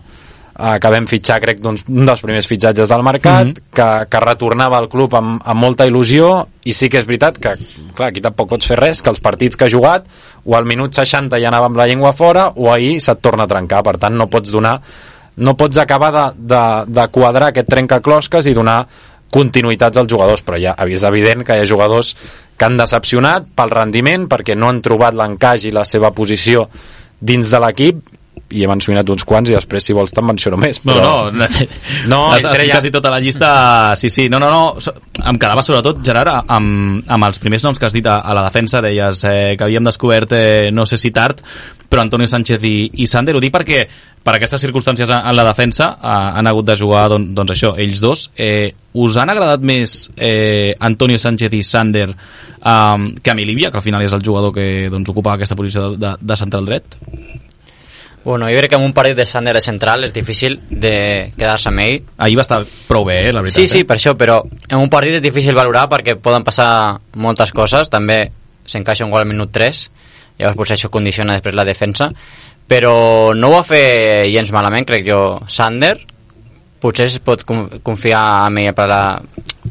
que vam fitxar, crec, un dels primers fitxatges del mercat, que retornava al club amb molta il·lusió, i sí que és veritat que, clar, aquí tampoc pots fer res, que els partits que ha jugat, o al minut 60 ja anava amb la llengua fora, o ahir se't torna a trencar. Per tant, no pots acabar de quadrar aquest trencaclosques i donar continuïtats als jugadors, però ja és evident que hi ha jugadors que han decepcionat pel rendiment, perquè no han trobat l'encaix i la seva posició dins de l'equip, i he mencionat uns quants, i després, si vols, te'n menciono més. Però... No, quasi tota la llista. Sí. No. Em quedava sobretot, Gerard, amb els primers noms que has dit a la defensa. Deies que havíem descobert, no sé si tard, però Antonio Sánchez i Sander. Ho dic perquè per aquestes circumstàncies en la defensa han hagut de jugar, doncs això, ells dos. Us han agradat més Antonio Sánchez i Sander que Milivia, que al final és el jugador que doncs, ocupa aquesta posició de central dret? Bueno, jo crec que en un partit de Sander de central és difícil de quedar-se amb ell. Ahir va estar prou bé, la veritat. Sí, per això, però en un partit és difícil valorar perquè poden passar moltes coses. També s'encaixa un gol al minut 3, llavors potser això condiciona després la defensa, però no ho va fer gens malament, crec jo. Sander potser es pot confiar en ell per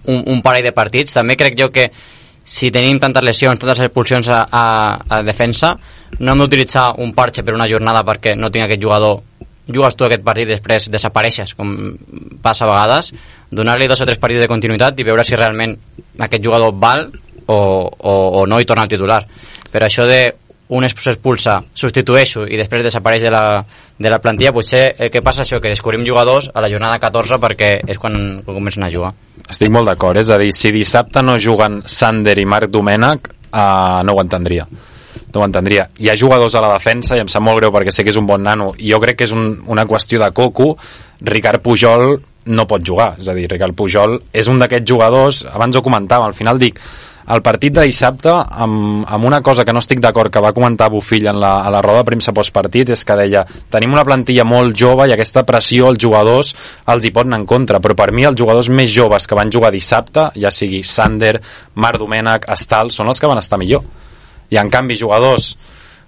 un parell de partits. També crec jo que si tenim tantes lesions, tantes expulsions a defensa, no hem d'utilitzar un parche per una jornada perquè no tinc aquest jugador. Jugues tu aquest partit i després desapareixes, com passa a vegades. Donar-li 2 o 3 partits de continuïtat i veure si realment aquest jugador val o no i torna al titular. Però això de un s'expulsa, substitueixo i després desapareix de la plantilla, potser el que passa és això, que descobrim jugadors a la jornada 14 perquè és quan comencen a jugar. Estic molt d'acord, és a dir, si dissabte no juguen Sander i Marc Domènech, no ho entendria. No ho entendria. Hi ha jugadors a la defensa i em sap molt greu perquè sé que és un bon nano i jo crec que és una qüestió de coco. Ricard Pujol no pot jugar, és a dir, Ricard Pujol és un d'aquests jugadors, abans ho comentàvem, al final dic, el partit de dissabte, amb una cosa que no estic d'acord que va comentar Bofill a la roda de premsa postpartit, és que deia, tenim una plantilla molt jove i aquesta pressió als jugadors els hi pot anar en contra, però per mi els jugadors més joves que van jugar dissabte, ja sigui Sander, Marc Domènech, Estal, són els que van estar millor. I en canvi jugadors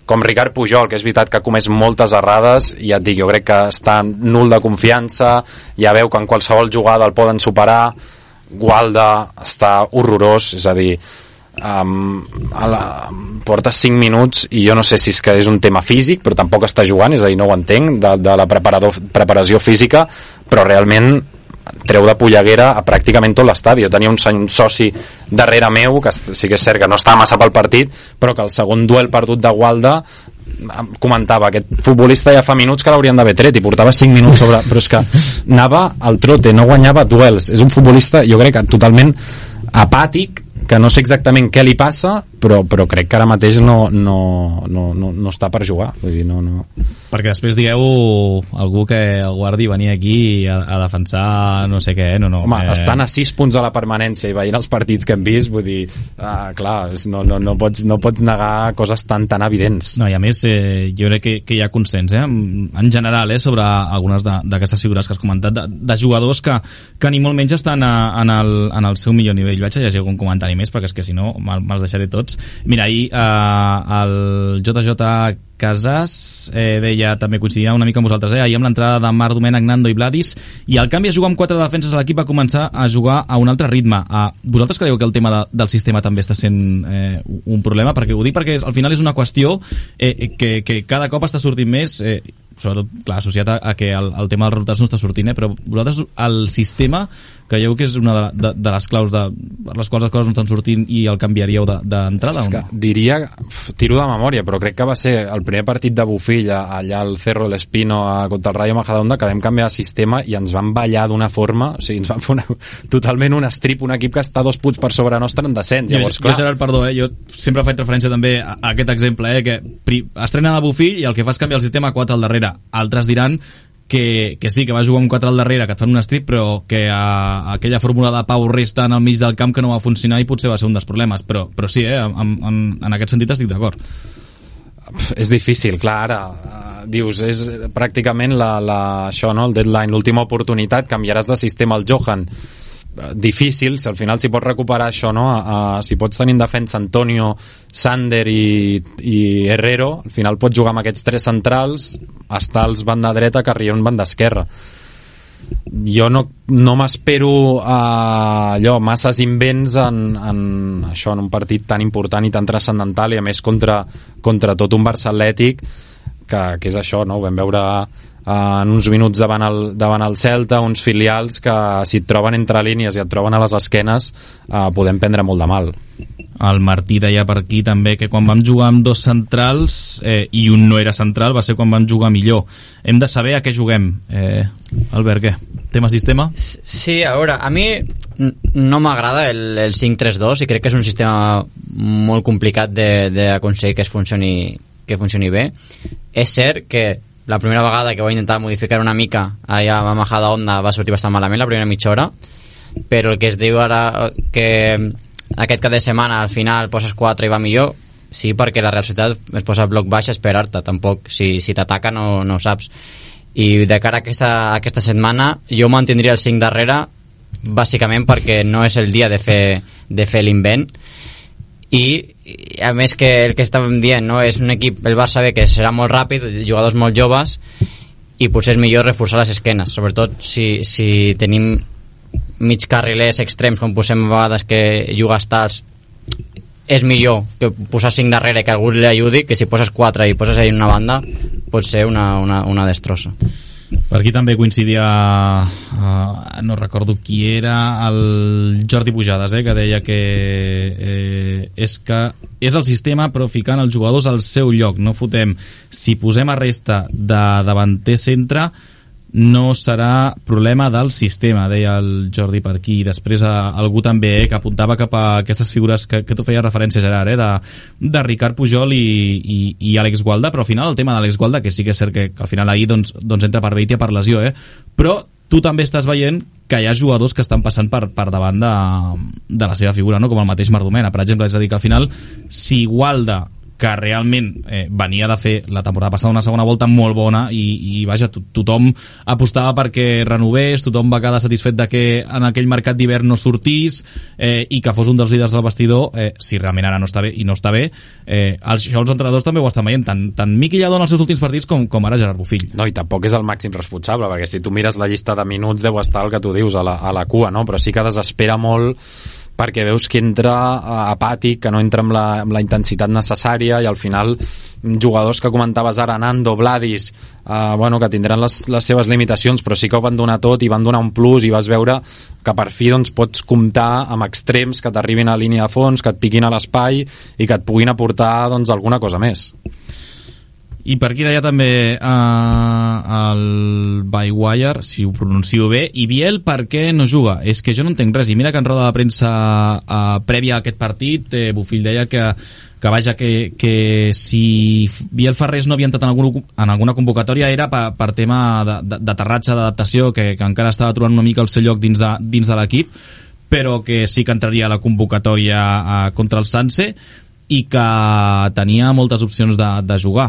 com Ricard Pujol, que és veritat que ha comès moltes errades, i ja et dic, jo crec que està nul de confiança, ja veu que en qualsevol jugada el poden superar. Gualda està horrorós, és a dir, porta 5 minuts i jo no sé si és que és un tema físic, però tampoc està jugant, és a dir, no ho entenc, de la preparació física, però realment treu de polleguera a pràcticament tot l'estadi. Jo tenia un soci darrere meu, que sí que és cert que no estava massa pel partit, però que el segon duel perdut de Gualda comentava, aquest futbolista ja fa minuts que l'haurien d'haver tret i portava 5 minuts sobre, però és que anava al trote, no guanyava duels, és un futbolista jo crec que totalment apàtic, que no sé exactament què li passa, però crec que ara mateix no està per jugar, vull dir, no. Perquè després dieu algú que el guardi venir aquí a defensar no sé què, no. Home, estan a 6 punts a la permanència i veient els partits que hem vist, vull dir, clar, no pots negar coses tan evidents. No, i a més, jo crec que hi ha consens, en general, sobre algunes d'aquestes figures que has comentat, de jugadors que ni molt menys estan en el seu millor nivell. Vaig a llegir algun comentari més, perquè és que si no me'ls deixaré tots. Mira, ahir el JJ Casas deia, també coincidia una mica amb vosaltres, ahir amb l'entrada de Marc Domènech, Nando i Vladis, i el canvi a jugar amb 4 defenses a l'equip va començar a jugar a un altre ritme. Vosaltres creieu que el tema del sistema també està sent un problema? Perquè ho dic perquè al final és una qüestió que cada cop està sortint més, sobretot, clar, associat a que el tema dels resultats no està sortint, però vosaltres el sistema creieu que és una de les claus per les quals les coses no estan sortint i el canviaríeu d'entrada? És que diria, tiro de memòria, però crec que va ser el primer partit de Bofill allà al Cerro del Espino contra el Rayo Majadahonda, que vam canviar de sistema i ens van ballar d'una forma, o sigui, ens van fer totalment un strip, un equip que està 2 punts per sobre nostre en descens. Llavors, jo, Gerard, perdó, jo sempre faig referència també a aquest exemple, que estrena de Bofill i el que fa és canviar el sistema a 4 al darrere. Altres diran que sí, que va jugar amb 4 al darrere, que et fan un strip, però que aquella fórmula de Pau Resta en el mig del camp que no va funcionar i potser va ser un dels problemes, però sí, en aquest sentit estic d'acord. És difícil, clar, ara dius, és pràcticament això, no? El deadline, l'última oportunitat, canviaràs de sistema al Johan, difícil, si al final s'hi pot recuperar això, no? Si pots tenir en defensa Antonio, Sander i Herrero, al final pots jugar amb aquests 3 centrals, Estals banda dreta, Carrión banda esquerra. Jo no m'espero allò, masses invents en això, en un partit tan important i tan transcendental, i a més contra tot un Barça Atlètic que és això, no? Ho vam veure en uns minuts davant el Celta, uns filials que si et troben entre línies i et troben a les esquenes podem prendre molt de mal. El Martí deia per aquí també que quan vam jugar amb 2 centrals i un no era central va ser quan vam jugar millor. Hem de saber a què juguem. Albert, què? Tema sistema? Sí, a veure, a mi no m'agrada el 5-3-2 i crec que és un sistema molt complicat d'aconseguir que funcioni bé. És cert que la primera vegada que vaig intentar modificar una mica allà a Majadahonda va sortir bastant malament la primera mitja hora, però el que es diu ara que aquest cap de setmana al final poses 4 i va millor, sí, perquè la Real Societat es posa bloc baix a esperar-te, tampoc si t'ataca no saps. I de cara a aquesta setmana jo mantindria el 5 darrere bàsicament perquè no és el dia de fer l'invent i a més que el que estàvem dient, no? És un equip, el Barça bé, que serà molt ràpid, jugadors molt joves, i potser és millor reforçar les esquenes, sobretot si tenim mig carrilers extrems, com posem a vegades que juga Stars, és millor que posar 5 darrere que algú li ajudi, que si poses 4 i poses ahí una banda pot ser una destrossa. Per aquí també coincidia, no recordo qui era, el Jordi Pujades, que deia que és el sistema però ficant els jugadors al seu lloc, no fotem. Si posem a resta de davanter centre no serà problema del sistema, deia el Jordi per aquí. I després algú també que apuntava cap a aquestes figures que tu feies referència, Gerard, de Ricard Pujol i Àlex Gualda, però al final el tema d'Àlex Gualda, que sí que és cert que al final ahir doncs entra per Beitia per lesió, però tu també estàs veient que hi ha jugadors que estan passant per davant de la seva figura, no? Com el mateix Mardomena, per exemple. És a dir, que al final si Gualda, que realment venia de fer la temporada passada una segona volta molt bona i vaja, tothom apostava perquè renovés, tothom va quedar satisfet de que en aquell mercat d'hivern no sortís i que fos un dels líders del vestidor, si realment ara no està bé i no està bé, això els entrenadors també ho estan veient, tant Miqui Lladó en els seus últims partits com ara Gerard Bofill. No, i tampoc és el màxim responsable, perquè si tu mires la llista de minuts deu estar el que tu dius a la cua, no? Però sí que desespera molt perquè veus que entra apàtic, que no entra amb la intensitat necessària, i al final jugadors que comentaves ara, Nando, Vladis, que tindran les seves limitacions, però sí que ho van donar tot i van donar un plus, i vas veure que per fi doncs, pots comptar amb extrems que t'arribin a línia de fons, que et piquin a l'espai i que et puguin aportar doncs, alguna cosa més. I per aquí deia també el Bywire, si ho pronuncio bé, i Biel per què no juga? És que jo no entenc res, i mira que en roda de premsa prèvia a aquest partit Bofill deia que si Biel Ferrés no havia entrat en alguna convocatòria era per tema d'aterratge, d'adaptació, que encara estava trobant una mica el seu lloc dins de l'equip, però que sí que entraria a la convocatòria contra el Sanse, i que tenia moltes opcions de jugar,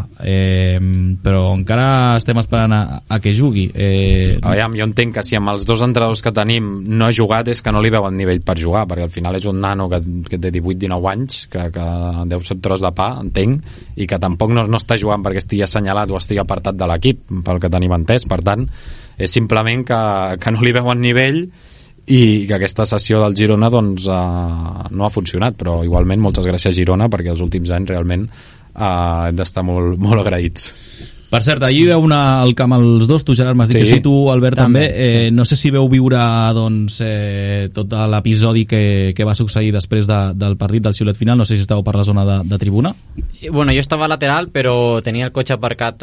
però encara estem esperant a que jugui. Aviam, jo entenc que si amb els dos entrenadors que tenim no ha jugat és que no li veuen nivell per jugar, perquè al final és un nano que té 18-19 anys, que deu ser tros de pa, entenc, i que tampoc no està jugant perquè estigui assenyalat o estigui apartat de l'equip, pel que tenim entès. Per tant, és simplement que no li veuen nivell i que aquesta sessió del Girona doncs, no ha funcionat, però igualment moltes gràcies Girona, perquè els últims anys realment hem d'estar molt, molt agraïts. Per cert, ahir veu anar al camp els dos, tu Gerard m'has dit que sí, tu Albert també, sí. No sé si veu viure doncs, tot l'episodi que va succeir després del partit del xiulet final, no sé si estàveu per la zona de tribuna. Bueno, jo estava lateral, però tenia el cotxe aparcat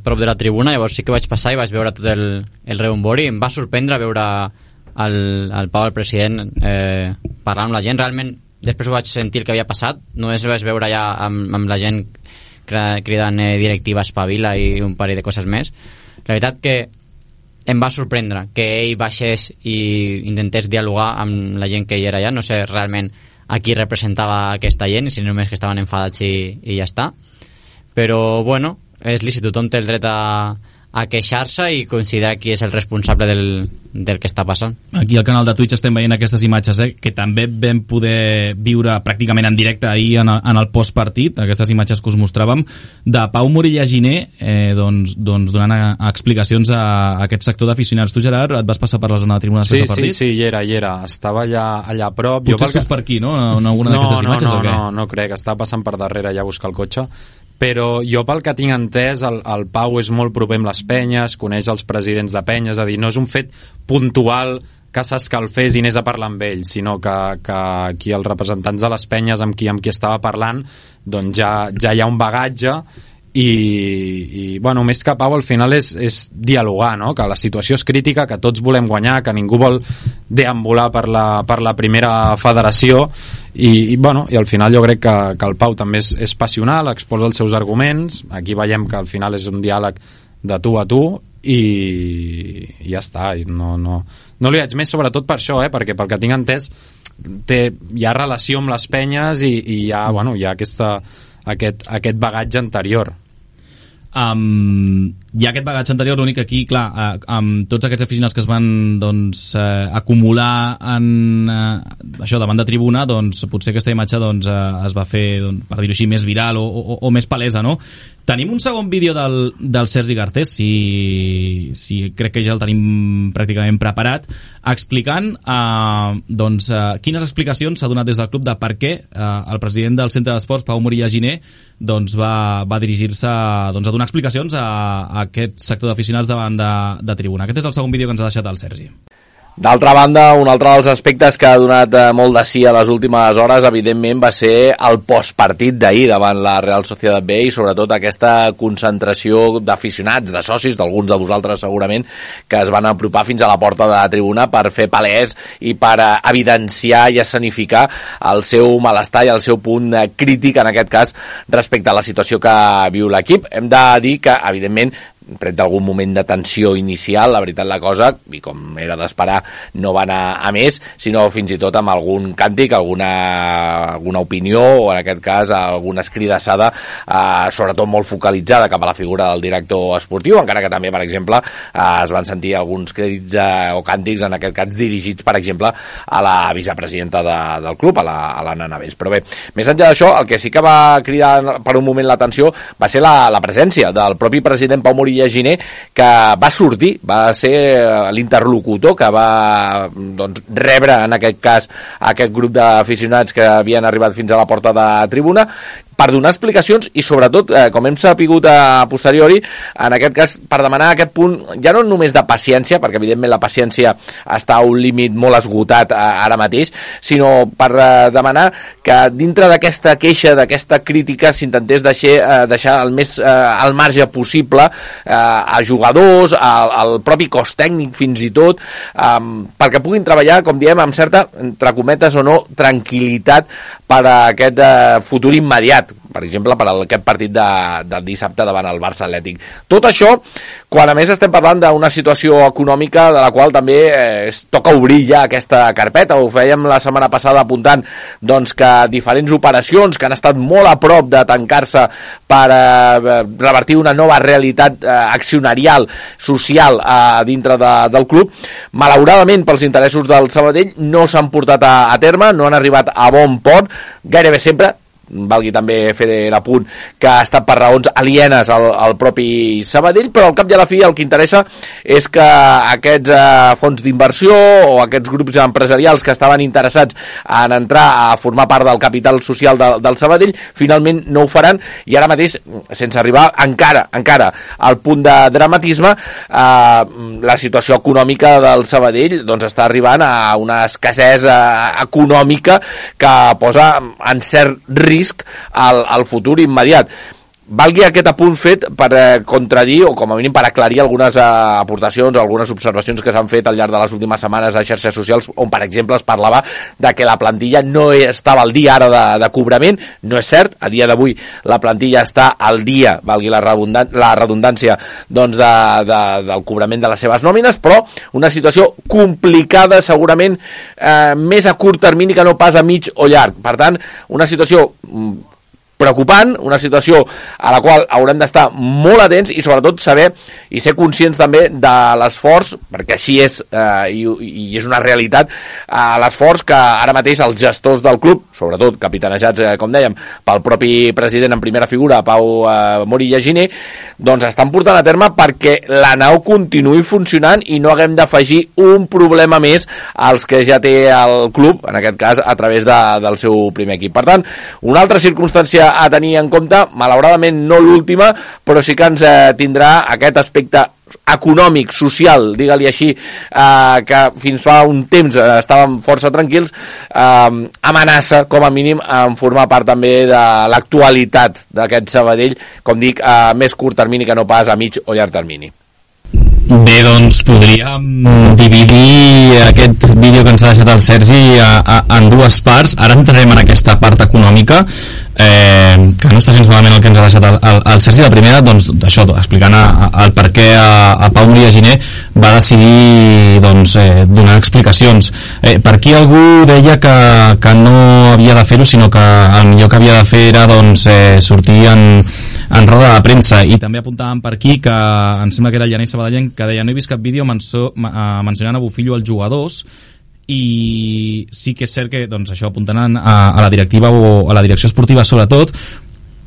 prop de la tribuna, llavors sí que vaig passar i vaig veure tot el rebombori, em va sorprendre veure el Pau, el president, parlant amb la gent. Realment després ho vaig sentir el que havia passat, només ho vaig veure ja amb la gent cridant directiva espavila i un parell de coses més. La veritat que em va sorprendre que ell baixés i intentés dialogar amb la gent que hi era allà. No sé realment a qui representava aquesta gent, si només que estaven enfadats i ja està, però bueno, és lícit, tothom té el dret a queixar-se i considerar qui és el responsable del que està passant. Aquí al canal de Twitch estem veient aquestes imatges que també vam poder viure pràcticament en directe ahir en el postpartit, aquestes imatges que us mostràvem de Pau Morilla Giner doncs donant explicacions a aquest sector d'aficionats. Tu, Gerard, et vas passar per la zona de tribuna després del partit? Sí, hi era, estava allà a prop. Potser surts per aquí, no? En alguna d'aquestes imatges o què? No crec, estava passant per darrere ja a buscar el cotxe, però jo pel que tinc entès el Pau és molt proper amb les penyes, coneix els presidents de penyes, és a dir, no és un fet puntual que s'escalfés i anés a parlar amb ell, sinó que aquí els representants de les penyes amb qui estava parlant doncs ja hi ha un bagatge i bueno, més que Pau al final és dialogar, no? Que la situació és crítica, que tots volem guanyar, que ningú vol deambular per la primera federació i al final jo crec que el Pau també és passional, exposa els seus arguments, aquí veiem que al final és un diàleg de tu a tu i ja està, i no li haig més, sobretot per això, perquè pel que tinc entès hi ha relació amb les penyes i hi ha aquest bagatge anterior. hi ha aquest bagatge anterior, l'únic que aquí, clar, amb tots aquests aficionats que es van acumular en això davant de tribuna, doncs potser aquesta imatge es va fer, per dir-ho així, més viral o més palesa, no? Tenim un segon vídeo del Sergi Garcés, si crec que ja el tenim pràcticament preparat, explicant quines explicacions s'ha donat des del club de per què el president del Centre d'Esports, Pau Morilla Giner, va dirigir-se a donar explicacions a aquest sector d'aficionats davant de tribuna. Aquest és el segon vídeo que ens ha deixat el Sergi. D'altra banda, un altre dels aspectes que ha donat molt de sí a les últimes hores, evidentment, va ser el postpartit d'ahir davant la Real Sociedad B i sobretot aquesta concentració d'aficionats, de socis, d'alguns de vosaltres segurament, que es van apropar fins a la porta de la tribuna per fer palès i per evidenciar i escenificar el seu malestar i el seu punt crític, en aquest cas, respecte a la situació que viu l'equip. Hem de dir que, evidentment, tret d'algun moment de tensió inicial, la veritat la cosa, i com era d'esperar, no va anar a més, sinó fins i tot amb algun càntic, alguna opinió, o en aquest cas alguna escridassada, sobretot molt focalitzada cap a la figura del director esportiu, encara que també, per exemple, es van sentir alguns crèdits o càntics, en aquest cas dirigits, per exemple, a la vicepresidenta del club, a la Nana Bes. Però bé, més enllà d'això, el que sí que va cridar per un moment l'atenció va ser la presència del propi president Pau Morilla Giner, que va sortir, va ser l'interlocutor que va rebre en aquest cas aquest grup d'aficionats que havien arribat fins a la porta de tribuna per donar explicacions i sobretot, com hem sapigut a posteriori, en aquest cas per demanar aquest punt, ja no només de paciència, perquè evidentment la paciència està a un límit molt esgotat ara mateix, sinó per demanar que dintre d'aquesta queixa, d'aquesta crítica, s'intentés deixar el més al marge possible a jugadors, al propi cos tècnic fins i tot, perquè puguin treballar, com diem, amb certa, entre cometes o no, tranquil·litat per a aquest futur immediat, per exemple, per aquest partit del dissabte davant el Barça Atlètic. Tot això, quan a més estem parlant d'una situació econòmica de la qual també es toca obrir ja aquesta carpeta. Ho fèiem la setmana passada apuntant que diferents operacions que han estat molt a prop de tancar-se per revertir una nova realitat accionarial, social dintre del club, malauradament pels interessos del Sabadell no s'han portat a terme, no han arribat a bon port, gairebé sempre, valgui també fer l'apunt, que ha estat per raons alienes al propi Sabadell, però al cap i a la fi el que interessa és que aquests fons d'inversió o aquests grups empresarials que estaven interessats en entrar a formar part del capital social del Sabadell, finalment no ho faran, i ara mateix, sense arribar encara al punt de dramatisme, la situació econòmica del Sabadell està arribant a una escassesa econòmica que posa en cert risc al futur immediat. Valgui aquest apunt fet per contradir o com a mínim per aclarir algunes aportacions, algunes observacions que s'han fet al llarg de les últimes setmanes a xarxes socials, on per exemple es parlava de que la plantilla no estava al dia ara de cobrament. No és cert, a dia d'avui la plantilla està al dia, valgui la redundància, del cobrament de les seves nòmines, però una situació complicada segurament més a curt termini que no pas a mig o llarg. Per tant, una situació preocupant, una situació a la qual haurem d'estar molt atents i sobretot saber i ser conscients també de l'esforç, perquè així és i és una realitat, l'esforç que ara mateix els gestors del club, sobretot capitanejats, com dèiem, pel propi president en primera figura, Pau Morilla Giner, estan portant a terme perquè la nau continuï funcionant i no haguem d'afegir un problema més als que ja té el club, en aquest cas a través del seu primer equip. Per tant, una altra circumstància a tenir en compte, malauradament no l'última, però sí que ens tindrà aquest aspecte econòmic, social, digue-li així, que fins fa un temps estàvem força tranquils, amenaça, com a mínim, en formar part també de l'actualitat d'aquest Sabadell, com dic, a més curt termini que no pas a mig o llarg termini. Bé, podríem dividir aquest vídeo que ens ha deixat el Sergi en dues parts. Ara entrarem en aquesta part econòmica. que no està gens malament el que ens ha deixat el Sergi. La primera, doncs, això, explicant el per què a Pau Moria Giner va decidir donar explicacions. Per aquí algú deia que no havia de fer-ho, sinó que el millor que havia de fer era sortir en roda de premsa. I també apuntàvem per aquí que em sembla que era el Janei Sabadellenc que deia: no he vist cap vídeo mencionant a Bufillo als jugadors. I sí que és cert que això apuntant a la directiva o a la direcció esportiva sobretot.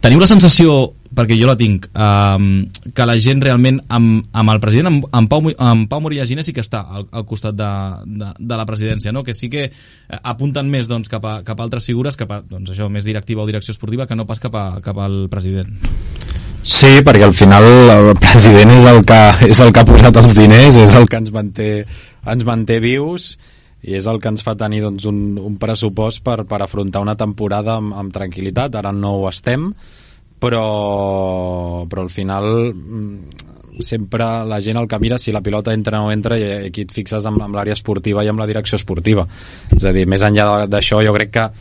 Teniu la sensació, perquè jo la tinc, que la gent realment amb el president, amb Pau Moria Giner, sí que està al costat de la presidència, no? Que sí que apunten més cap a altres figures, cap a això, més directiva o direcció esportiva, que no pas cap al president. Sí, perquè al final el president és el que ha posat els diners, és el que ens manté vius, i és el que ens fa tenir un pressupost per afrontar una temporada amb tranquil·litat. Ara no ho estem, però al final sempre la gent el que mira si la pilota entra o no entra, i aquí et fixes amb l'àrea esportiva i amb la direcció esportiva. És a dir, més enllà d'això, jo crec que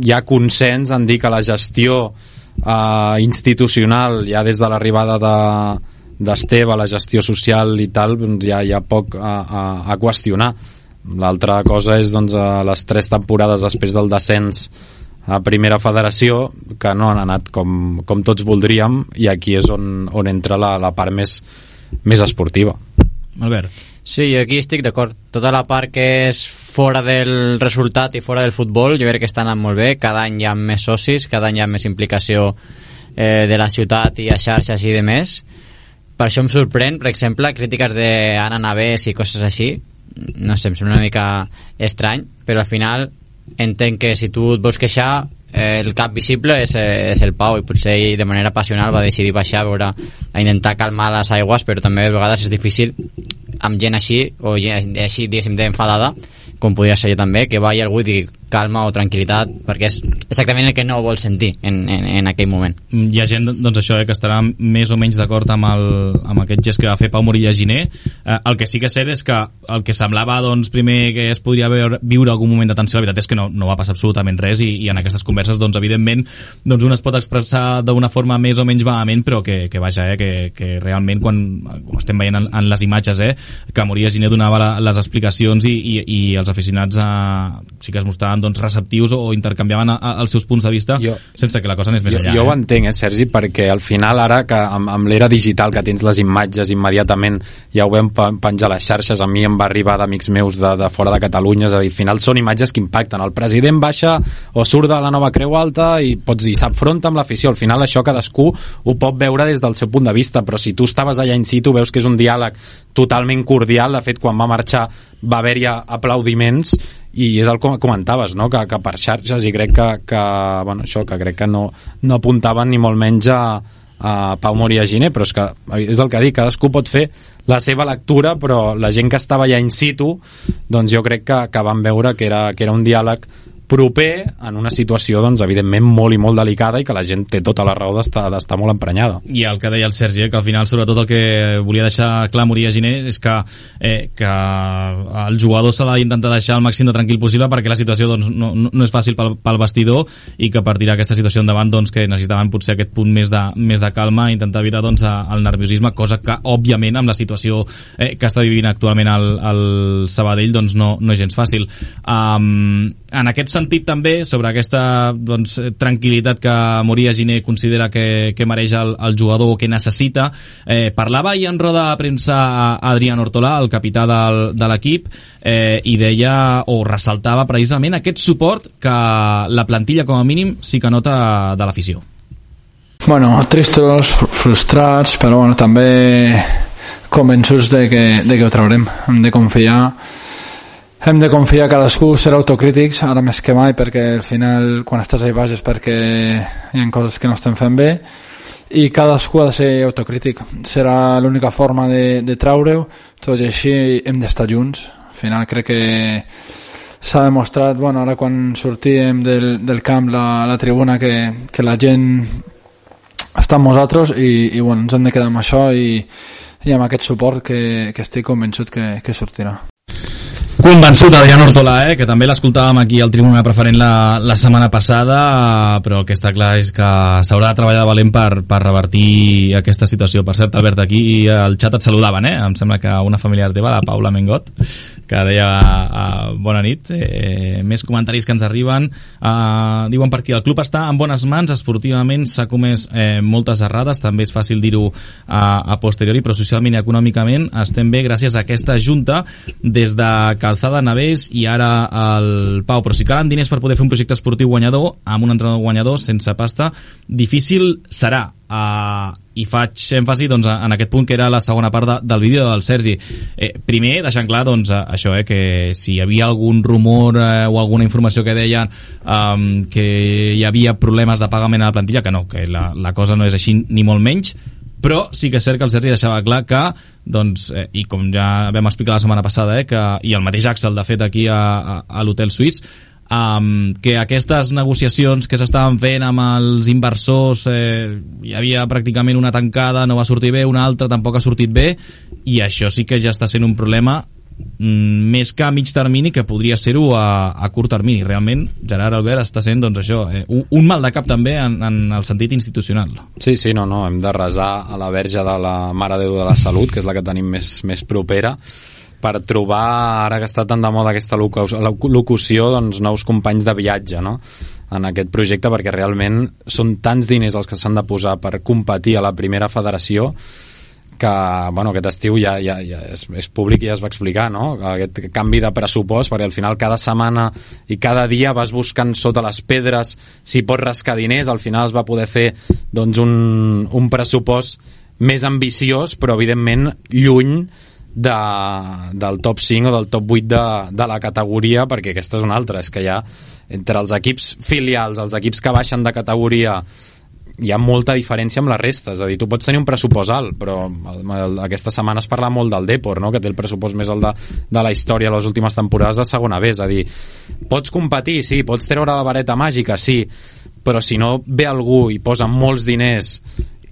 hi ha consens en dir que la gestió institucional, ja des de l'arribada d'Esteve, la gestió social i tal, hi ha poc a qüestionar. L'altra cosa és les 3 temporades després del descens a primera federació, que no han anat com tots voldríem, i aquí és on entra la part més esportiva. Albert. Sí, jo aquí estic d'acord. Tota la part que és fora del resultat i fora del futbol, jo crec que està anant molt bé. Cada any hi ha més socis, cada any hi ha més implicació de la ciutat i a xarxes i de més. Per això em sorprèn, per exemple, crítiques d'Anna Navès i coses així. No sé, em sembla una mica estrany, però al final entenc que si tu et vols queixar, el cap visible és el Pau, i potser ell de manera passional va decidir baixar a intentar calmar les aigües, però també a vegades és difícil amb gent així, o gent així, diguéssim, d'enfadada, com podria ser jo també, que vagi algú i digui calma o tranquil·litat, perquè és exactament el que no vol sentir en aquell moment. Hi ha gent, això, que estarà més o menys d'acord amb aquest gest que va fer Pau Moria Giner. El que sí que és cert és que el que semblava primer que es podria viure algun moment de tensió, la veritat és que no va passar absolutament res, i en aquestes converses, evidentment, un es pot expressar d'una forma més o menys vehement, però que vaja, que realment quan estem veient en les imatges, que Moria Giner donava les explicacions i els aficionats sí que es mostraven receptius o intercanviaven els seus punts de vista sense que la cosa anés més enllà. Jo ho entenc, Sergi, perquè al final ara que amb l'era digital, que tens les imatges immediatament, ja ho vam penjar a les xarxes, a mi em va arribar d'amics meus de fora de Catalunya, és a dir, al final són imatges que impacten. El president baixa o surt de la nova Creu Alta i pots dir, s'afronta amb l'afició. Al final això cadascú ho pot veure des del seu punt de vista, però si tu estaves allà in situ veus que és un diàleg totalment cordial. De fet, quan va marxar va haver-hi aplaudiments, i és el que comentaves, no? que per xarxes, i crec que no apuntaven ni molt menys a Pau Moria Giner, però és el que dic, cadascú pot fer la seva lectura, però la gent que estava allà in situ, jo crec que van veure que era un diàleg proper en una situació, evidentment, molt i molt delicada, i que la gent té tota la raó d'estar molt emprenyada. I el que deia el Sergi, que al final, sobretot, el que volia deixar clar Moria Giner és que el jugador s'ha d'intentar deixar el màxim de tranquil possible, perquè la situació no és fàcil pel vestidor, i que per tirar aquesta situació endavant que necessitaven potser aquest punt més de calma, intentar evitar el nerviosisme, cosa que, òbviament, amb la situació que està vivint actualment el Sabadell, no és gens fàcil. En aquest sentit, també, sobre aquesta tranquil·litat que Moria Giner considera que mereix el jugador o que necessita, parlava ahir en roda de premsa Adrián Ortolà, el capità de l'equip, i deia o ressaltava precisament aquest suport que la plantilla, com a mínim, sí que nota de l'afició. Bueno, tristos, frustrats, però també convençuts de que ho traurem. Hem de confiar, cadascú, ser autocrítics ara més que mai, perquè al final quan estàs ahí baix és perquè hi ha coses que no estem fent bé, i cadascú ha de ser autocrític. Serà l'única forma de treure-ho, tot i així hem d'estar junts. Al final crec que s'ha demostrat, ara quan sortíem del camp, la tribuna, que la gent està amb nosaltres, i ens hem de quedar amb això i amb aquest suport que estic convençut que sortirà. Convençut Adrián Hortolà, que també l'escoltàvem aquí al Tribuna Preferent la setmana passada, però el que està clar és que s'haurà de treballar de valent per revertir aquesta situació. Per cert, Albert, aquí al xat et saludaven, em sembla que una familiar teva, la Paula Mengot, que deia bona nit. Més comentaris que ens arriben. Diuen per aquí, el club està en bones mans, esportivament s'ha comès moltes errades, també és fàcil dir-ho a posteriori, però socialment i econòmicament estem bé gràcies a aquesta junta, des de Calzada, Navés i ara el Pau. Però si calen diners per poder fer un projecte esportiu guanyador, amb un entrenador guanyador, sense pasta, difícil serà. I faig èmfasi en aquest punt, que era la segona part del vídeo del Sergi. Primer, deixant clar això, que si hi havia algun rumor o alguna informació que deien que hi havia problemes de pagament a la plantilla, que no, que la cosa no és així ni molt menys, però sí que és cert que el Sergi deixava clar que, i com ja vam explicar la setmana passada, i el mateix Axel, de fet, aquí a l'Hotel Suís, que aquestes negociacions que s'estaven fent amb els inversors, hi havia pràcticament una tancada, no va sortir bé, una altra tampoc ha sortit bé, i això sí que ja està sent un problema més que a mig termini, que podria ser-ho a curt termini. Realment, Gerard Albert, està sent un mal de cap també en el sentit institucional. Sí, no, hem de resar a la Verge de la Mare de Déu de la Salut, que és la que tenim més propera, per trobar, ara que està tan de moda aquesta locució, nous companys de viatge, no?, en aquest projecte, perquè realment són tants diners els que s'han de posar per competir a la primera federació, que aquest estiu ja és públic i ja es va explicar, no?, aquest canvi de pressupost, perquè al final cada setmana i cada dia vas buscant sota les pedres si pots rascar diners. Al final es va poder fer un pressupost més ambiciós, però evidentment lluny del top 5 o del top 8 de la categoria, perquè aquesta és una altra, és que hi ha entre els equips filials, els equips que baixen de categoria, hi ha molta diferència amb la resta. És a dir, tu pots tenir un pressupost alt, però aquesta setmana es parla molt del Depor, no?, que té el pressupost més alt de la història les últimes temporades de segona B. És a dir, pots competir, sí, pots treure la vareta màgica, sí, però si no ve algú i posa molts diners,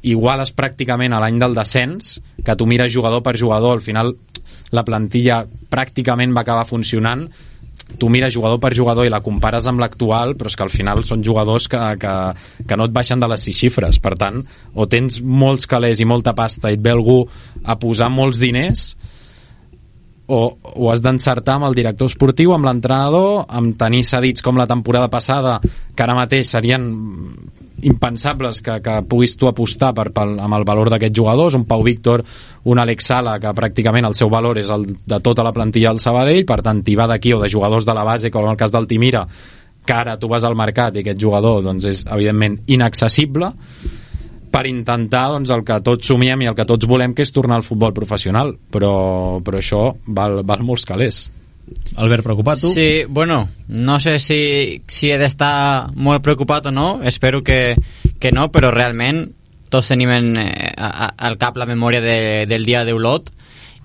iguales pràcticament a l'any del descens, que tu mires jugador per jugador, al final la plantilla pràcticament va acabar funcionant, tu mires jugador per jugador i la compares amb l'actual, però és que al final són jugadors que no et baixen de les 6 xifres. Per tant, o tens molts calés i molta pasta i et ve algú a posar molts diners, o has d'encertar amb el director esportiu, amb l'entrenador, amb tenir cedits com la temporada passada, que ara mateix serien impensables que puguis tu apostar amb el valor d'aquests jugadors, un Pau Víctor, un Alex Sala, que pràcticament el seu valor és el de tota la plantilla del Sabadell. Per tant, t'hi va d'aquí, o de jugadors de la base, com en el cas d'Altimira, que ara tu vas al mercat i aquest jugador és evidentment inaccessible, per intentar el que tots somiem i el que tots volem, que és tornar al futbol professional, però això val molts calés. Albert, preocupat tu? Sí, bueno, no sé si he d'estar molt preocupat o no, espero que no, però realment tots tenim al cap la memòria del dia d'Olot,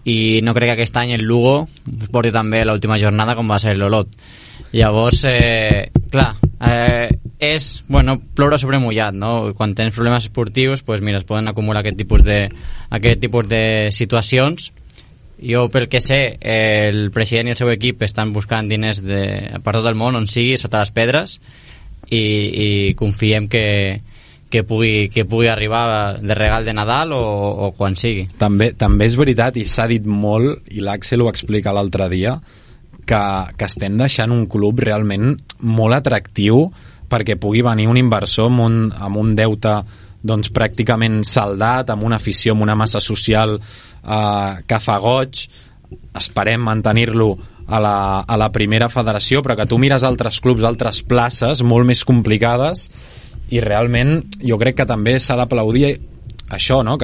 i no crec que aquest any el Lugo porti també l'última jornada com va ser l'Olot. Llavors, clar, és, ploure sobre mullat, no? Quan tens problemes esportius, pues mira, es poden acumular aquest tipus de situacions. Jo, pel que sé, el president i el seu equip estan buscant diners per tot el món, on sigui, sota les pedres, i confiem que pugui arribar de regal de Nadal o quan sigui. També és veritat, i s'ha dit molt, i l'Àxel ho explica l'altre dia, que estem deixant un club realment molt atractiu perquè pugui venir un inversor amb un deute pràcticament saldat, amb una afició, amb una massa social que fa goig. Esperem mantenir-lo a la primera federació, però que tu mires altres clubs, altres places molt més complicades, i realment jo crec que també s'ha d'aplaudir això, no?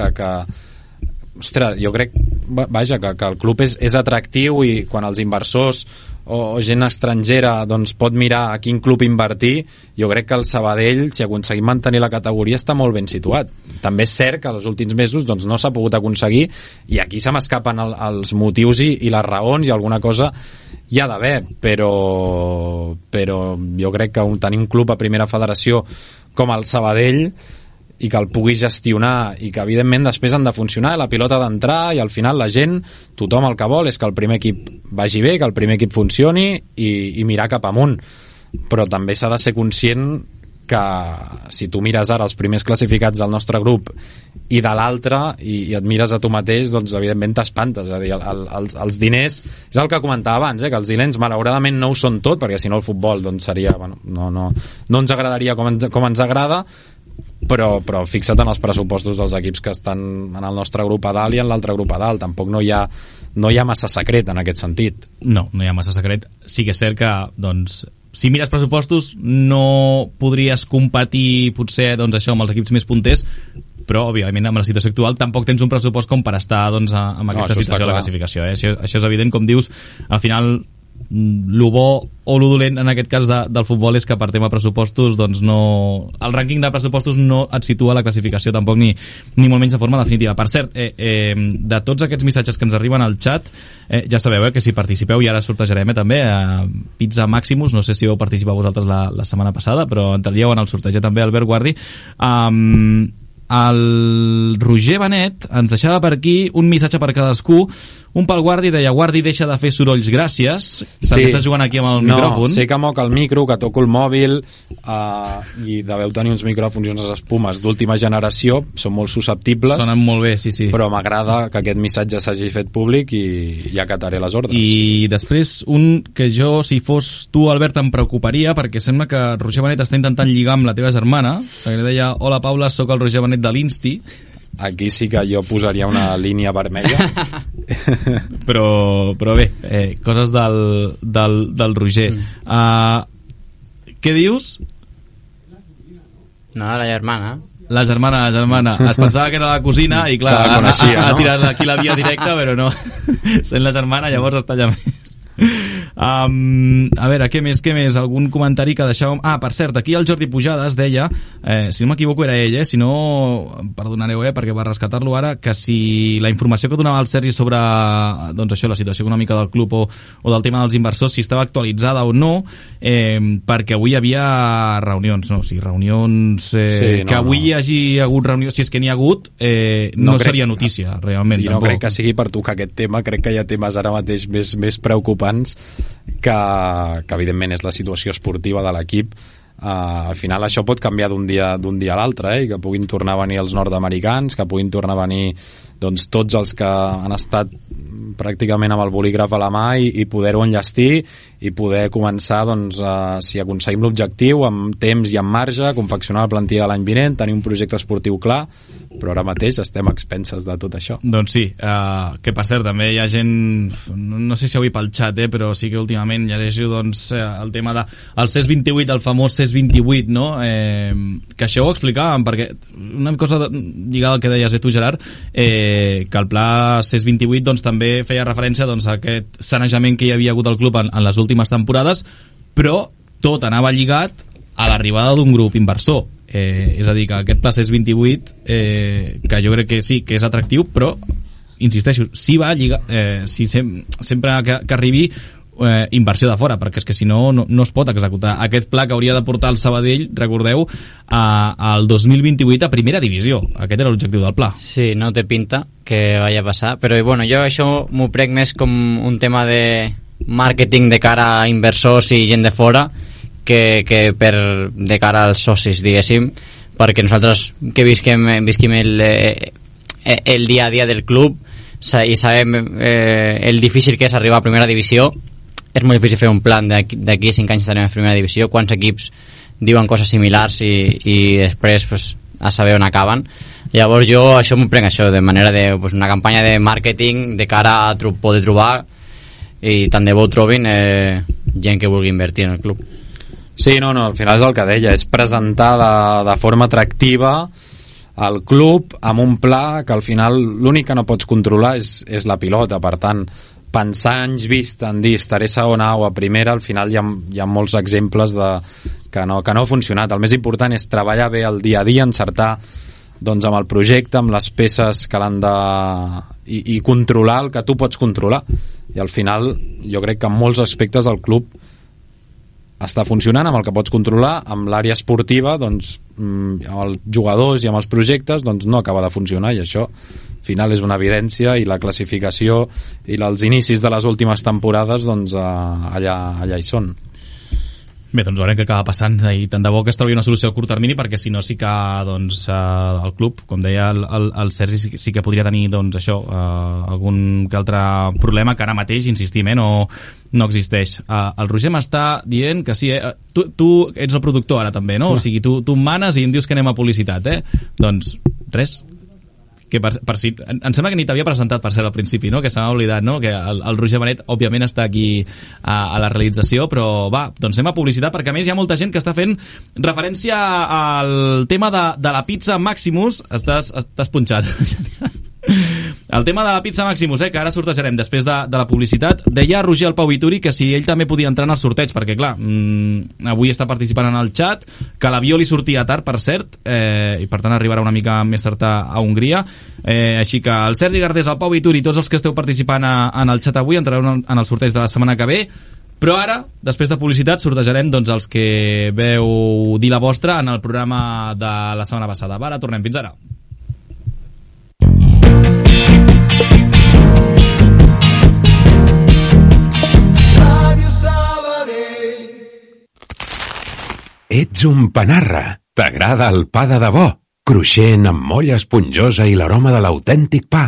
Ostres, jo crec que el club és atractiu, i quan els inversors o gent estrangera pot mirar a quin club invertir, jo crec que el Sabadell, si aconseguim mantenir la categoria, està molt ben situat. També és cert que els últims mesos no s'ha pogut aconseguir, i aquí se m'escapen els motius i les raons, i alguna cosa hi ha d'haver, però jo crec que tenir un club a primera federació com el Sabadell i que el puguis gestionar i que evidentment després han de funcionar, la pilota ha d'entrar i al final la gent, tothom el que vol és que el primer equip vagi bé, que el primer equip funcioni i mirar cap amunt, però també s'ha de ser conscient que si tu mires ara els primers classificats del nostre grup i de l'altre i et mires a tu mateix, doncs evidentment t'espantes, és a dir, els diners, és el que comentava abans, que els diners malauradament no ho són tot, perquè si no el futbol doncs seria, bueno, no ens agradaria com ens agrada, però fixa't en els pressupostos dels equips que estan en el nostre grup a dalt i en l'altre grup a dalt, tampoc no hi ha massa secret en aquest sentit. No hi ha massa secret. Sí que és cert que, doncs, si mires pressupostos no podries competir potser doncs, això amb els equips més punters, però òbviament amb la situació actual tampoc tens un pressupost com per estar doncs, amb aquesta situació de la classificació. Això és evident, com dius, al final lo bo o lo dolent en aquest cas del futbol és que per tema pressupostos doncs no, el rànquing de pressupostos no et situa la classificació tampoc ni molt menys de forma definitiva. Per cert, de tots aquests missatges que ens arriben al xat, ja sabeu que si participeu, i ara sortejarem també Pizza Maximus, no sé si vau participar vosaltres la setmana passada, però entraríeu en el sorteig també Albert Guardi. El Roger Benet ens deixava per aquí un missatge per cadascú, un pel Guardi, deia: Guardi, deixa de fer sorolls, gràcies. També estàs jugant aquí amb el micròfon. Sé que moc el micro, que toco el mòbil, i deveu tenir uns micròfons i unes espumes d'última generació, són molt susceptibles. Sonen molt bé, sí. Però m'agrada que aquest missatge s'hagi fet públic i ja acataré les ordres. I després un que jo, si fos tu, Albert, em preocuparia, perquè sembla que Roger Benet està intentant lligar amb la teva germana, perquè deia: hola Paula, sóc el Roger Benet de l'Insti. Aquí sí que jo posaria una línia vermella. però bé, coses del Roger. Què dius? No, la germana. La germana. Es pensava que era la cosina i clar, ha tirat aquí la via directa, però no. Sent la germana, llavors està allà més. A veure, què més? Algun comentari que deixàvem... per cert, aquí el Jordi Pujades deia, si no m'equivoco era ell, si no, perdonareu, perquè va rescatar-lo ara, que si la informació que donava el Sergi sobre doncs això, la situació econòmica del club o del tema dels inversors, si estava actualitzada o no, perquè avui hi havia reunions, que avui hi hagi hagut reunions, si és que n'hi ha hagut, no seria notícia, realment. I no crec que sigui per tocar aquest tema, crec que hi ha temes ara mateix més preocupants que evidentment és la situació esportiva de l'equip. Al final això pot canviar d'un dia a l'altre, i que puguin tornar a venir els nord-americans, que puguin tornar a venir doncs, tots els que han estat pràcticament amb el bolígraf a la mà i poder-ho enllestir i poder començar, doncs, si aconseguim l'objectiu, amb temps i amb marge, confeccionar la plantilla de l'any vinent, tenir un projecte esportiu clar, però ara mateix estem a expenses de tot això. Doncs sí, que per cert, també hi ha gent, no sé si avui pel xat, però sí que últimament llegeixo doncs, el tema del CES 28, el famós CES 28, no? Que això ho explicàvem, perquè una cosa lligada al que deies tu, Gerard, que el pla CES 28 doncs, també feia referència doncs, a aquest sanejament que hi havia hagut al club en les últimes temporades, però tot anava lligat a l'arribada d'un grup inversor. És a dir, que aquest pla CES 28, que jo crec que sí, que és atractiu, però, insisteixo, si va lligar, sempre que arribi inversió de fora, perquè és que si no es pot executar aquest pla que hauria de portar el Sabadell, recordeu, al 2028 a primera divisió. Aquest era l'objectiu del pla. Sí, no té pinta que vaya a passar, però bueno, jo això m'ho prec més com un tema de màrqueting de cara a inversors i gent de fora que de cara als socis, diguéssim, perquè nosaltres que visquim el dia a dia del club i sabem el difícil que és arribar a primera divisió. És molt difícil fer un plan d'aquí a 5 anys estarem a primera divisió, quants equips diuen coses similars i després pues, a saber on acaben. Llavors jo això m'ho prenc això de manera de pues, una campanya de màrqueting de cara a poder trobar, i tant de bo trobin gent que vulgui invertir en el club. Sí, no, al final és el que deia, és presentar de forma atractiva el club amb un pla que al final l'únic que no pots controlar és la pilota. Per tant, pensar anys vist en dir estaré segona o a primera, al final hi ha molts exemples que no ha funcionat. El més important és treballar bé el dia a dia, encertar doncs, amb el projecte, amb les peces que l'han de... i controlar el que tu pots controlar. I al final jo crec que en molts aspectes el club està funcionant, amb el que pots controlar, amb l'àrea esportiva, doncs, amb els jugadors i amb els projectes, doncs no acaba de funcionar, i això al final és una evidència, i la classificació i els inicis de les últimes temporades, doncs allà hi són. Bé, doncs veurem què acaba passant, i tant de bo que es trobi una solució a curt termini, perquè si no sí que doncs, el club, com deia el Sergi, sí que podria tenir doncs, això, algun que altre problema que ara mateix, insistim, no existeix. El Roger m'està dient que sí, tu ets el productor ara també, no? O sigui, tu em manes i em dius que anem a publicitat, doncs res, que per si, em sembla que ni t'havia presentat, per cert, al principi, no? Que se m'ha oblidat, no? Que el Roger Benet òbviament està aquí a la realització, però va, doncs anem a publicitat, perquè a més hi ha molta gent que està fent referència al tema de la pizza Maximus. Estàs punxat. El tema de la pizza Maximus, que ara sortejarem després de la publicitat. Deia Roger el Pau Vituri que si ell també podia entrar en el sorteig, perquè clar, avui està participant en el chat, que l'avió li sortia tard, per cert, i per tant arribarà una mica més tard a Hongria, així que el Sergi Garcés, el Pau Vituri, tots els que esteu participant en el chat avui entrareu en el sorteig de la setmana que ve. Però ara, després de publicitat, sortejarem doncs, els que veu dir la vostra en el programa de la setmana passada. Va, ara tornem, fins ara. Ets un panarra. T'agrada el pa de debò, cruixent amb molla esponjosa i l'aroma de l'autèntic pa.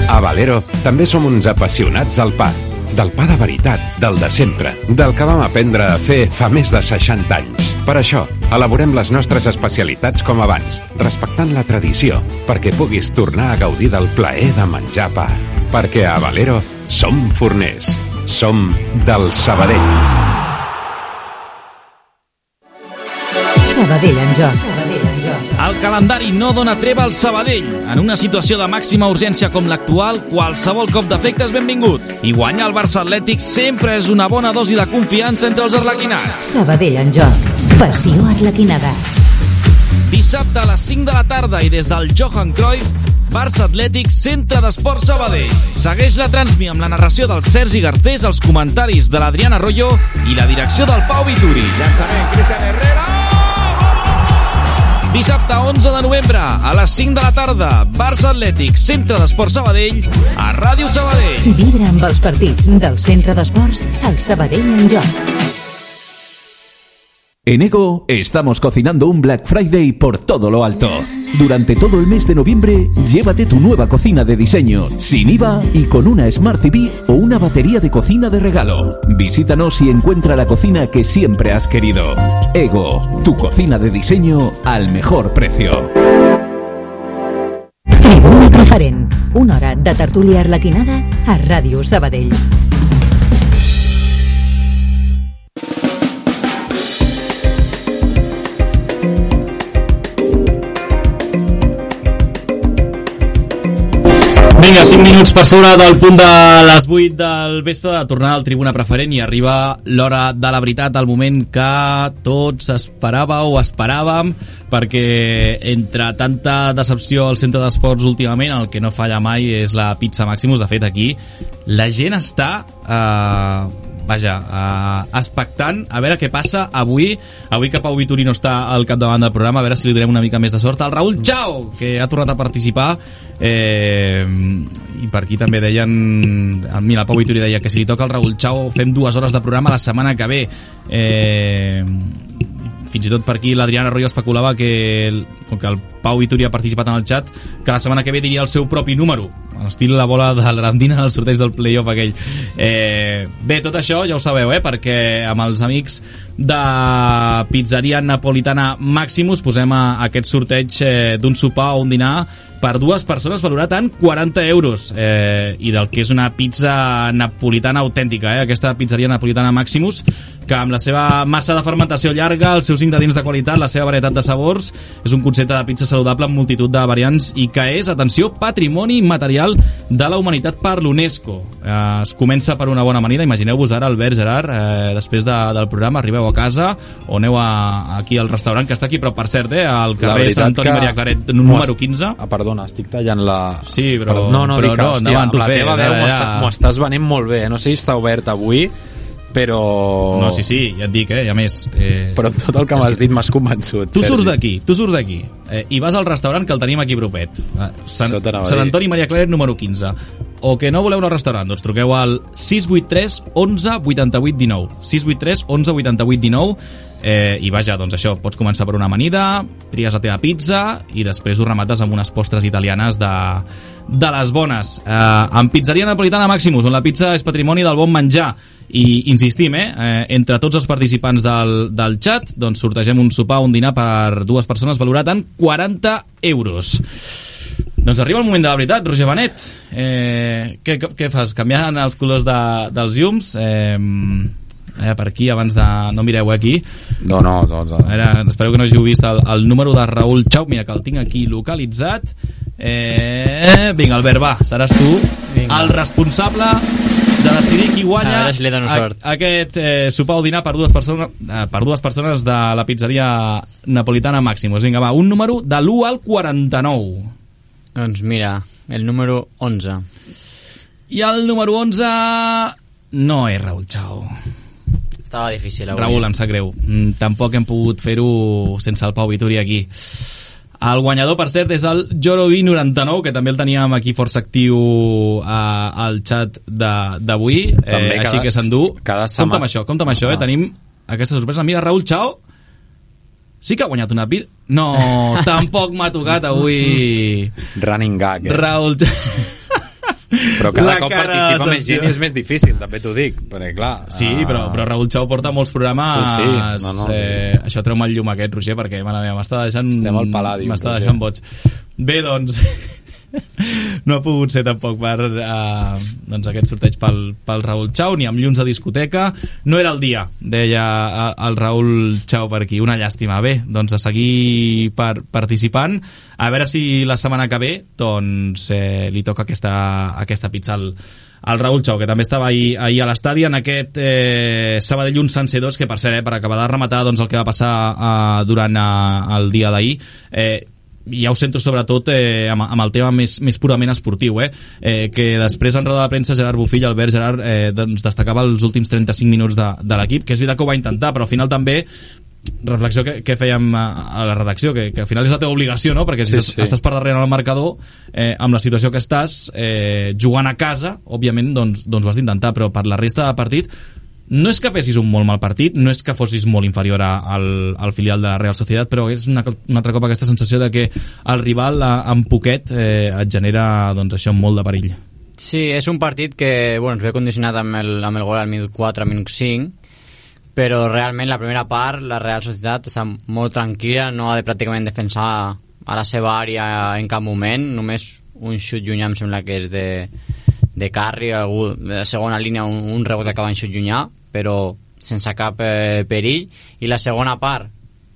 A Valero també som uns apassionats del pa de veritat, del de sempre, del que vam aprendre a fer fa més de 60 anys. Per això, elaborem les nostres especialitats com abans, respectant la tradició, perquè puguis tornar a gaudir del plaer de menjar pa. Perquè a Valero som forners, som del Sabadell. Sabadell en joc. El calendari no dona treva al Sabadell. En una situació de màxima urgència com l'actual, qualsevol cop d'efecte és benvingut. I guanyar el Barça Atlètic sempre és una bona dosi de confiança entre els arlequinats. Sabadell en joc. Passió arlequinada. Dissabte a les 5 de la tarda i des del Johan Cruyff, Barça Atlètic, Centre d'Esports Sabadell. Segueix la transmi amb la narració del Sergi Garcés, els comentaris de l'Adriana Arroyo i la direcció del Pau Vituri. Llançament, Cristian Herrera! Dissabte 11 de novembre a les 5 de la tarda, Barça Atlètic, Centre d'Esports Sabadell, a Ràdio Sabadell. Vibra amb els partits del Centre d'Esports, el Sabadell en joc. En Ego estamos cocinando un Black Friday por todo lo alto. Durante todo el mes de noviembre, llévate tu nueva cocina de diseño, sin IVA y con una Smart TV o una batería de cocina de regalo. Visítanos y encuentra la cocina que siempre has querido. Ego, tu cocina de diseño al mejor precio. Tribuna Preferent, una hora de tertúlia arlequinada a Ràdio Sabadell. Vinga, 5 minuts per sobre del punt de les 8 del vespre de tornar al Tribuna Preferent i arriba l'hora de la veritat, el moment que tots esperàveu o esperàvem, perquè entre tanta decepció al centre d'esports últimament, el que no falla mai és la pizza Maximus. De fet, aquí la gent està expectant a veure què passa avui que Pau Vituri no està al capdavant del programa, a veure si li donem una mica més de sort al Raül Chao, que ha tornat a participar, i per aquí també deien, mira, el Pau Vituri deia que si li toca al Raül Chao fem 2 hores de programa la setmana que ve. Fins i tot per aquí l'Adriana Arroyo especulava que, com que el Pau Vituri ha participat en el chat, que la setmana que ve diria el seu propi número, estil la bola de l'Arandina en el sorteig del playoff aquell. Bé, tot això ja ho sabeu, perquè amb els amics de Pizzeria Napolitana Maximus posem aquest sorteig d'un sopar o un dinar per 2 persones valorat en 40 euros, i del que és una pizza napolitana autèntica, aquesta pizzeria napolitana Maximus, que amb la seva massa de fermentació llarga, els seus ingredients de qualitat, la seva varietat de sabors, és un concepte de pizza saludable amb multitud de variants i que és, atenció, patrimoni material de la humanitat per l'UNESCO. Es comença per una bona amanida. Imagineu-vos ara, Albert, Gerard, després del programa, arribeu a casa o aneu aquí al restaurant que està aquí, però per cert, al carrer Sant Antoni Maria Claret número 15. Perdona, estic tallant la... Sí, però no, dic que, hòstia, endavant, tu la teva veu m'ho estàs venent molt bé, no sé si està obert avui, però... No, sí, ja et dic, i a més... Però amb tot el que m'has dit m'has convençut, tu surts Sergi. d'aquí, i vas al restaurant que el tenim aquí propet. Sant Antoni Maria Claret, número 15. O que no voleu anar al restaurant, doncs truqueu al 683 11 88 19. 683 11 88 19. I vaja, doncs això, pots començar per una amanida, tries la teva pizza i després ho remates amb unes postres italianes de les bones. En Pizzeria Napolitana Maximus, on la pizza és patrimoni del bon menjar. I insistim, entre tots els participants del chat, doncs sortegem un sopar o un dinar per 2 persones valorat en 40 euros. Doncs arriba el moment de la veritat, Roger Benet. Què fas? Canviant els colors dels llums? Per aquí, abans de... No mireu aquí. No. Espero que no hàgiu vist el número de Raül Chau. Mira, que el tinc aquí localitzat. Vinga, Albert, va, seràs tu el responsable de decidir qui guanya aquest sopar o dinar per 2 persones de la pizzeria napolitana Maximus. Vinga, va, un número de l'1 al 49. Doncs mira, el número 11. I el número 11 no és Raül Chau. Estava difícil avui. Raül, em sap greu. Tampoc hem pogut fer-ho sense el Pau Vituri aquí. El guanyador, per cert, és el Jorovi99, que també el teníem aquí força actiu al xat d'avui, així que s'endú. Compte amb això, tenim aquesta sorpresa. Mira, Raül Chau sí que ha guanyat una pizza. No, tampoc m'ha tocat avui. Running gag, Raül Però cada cop participa més gent i és més difícil, també t'ho dic, perquè clar... Sí, però Raül Chau porta molts programes... Sí. No. Això treu-me el llum aquest, Roger, perquè, mare meva, m'està deixant... Estem al Palladium. M'està deixant boig. Bé, doncs... No ha pogut ser tampoc per doncs aquest sorteig pel Raül Chau, ni amb llums de discoteca. No era el dia, deia el Raül Chau per aquí. Una llàstima. Bé, doncs a seguir participant, a veure si la setmana que ve doncs li toca aquesta pizza al Raül Chau, que també estava ahir a l'estadi en aquest Sabadell 1 Sanse 2, que per cert, per acabar de rematar doncs, el que va passar durant el dia d'ahir, ja ho centro sobretot amb el tema més purament esportiu, que després en roda de premsa Gerard Bofill, Albert Gerard, doncs destacava els últims 35 minuts de l'equip, que és veritat que ho va intentar, però al final també reflexió que fèiem a la redacció, que al final és la teva obligació, no? Perquè si estàs per darrere en el marcador, amb la situació que estàs, jugant a casa, òbviament doncs ho has d'intentar, però per la resta de partit no és que fessis un molt mal partit, no és que fossis molt inferior al filial de la Real Sociedad, però és un altre cop aquesta sensació de que el rival en poquet et genera doncs això, molt de perill. Sí, és un partit que ens ve condicionat amb el gol al minut 4, al minut 5, però realment la primera part la Real Sociedad està molt tranquil·la, no ha de pràcticament defensar a la seva àrea en cap moment, només un xut llunyà em sembla que és de Carri, de segona línia un rebot que acaba en xut llunyà, però sense cap perill. I la segona part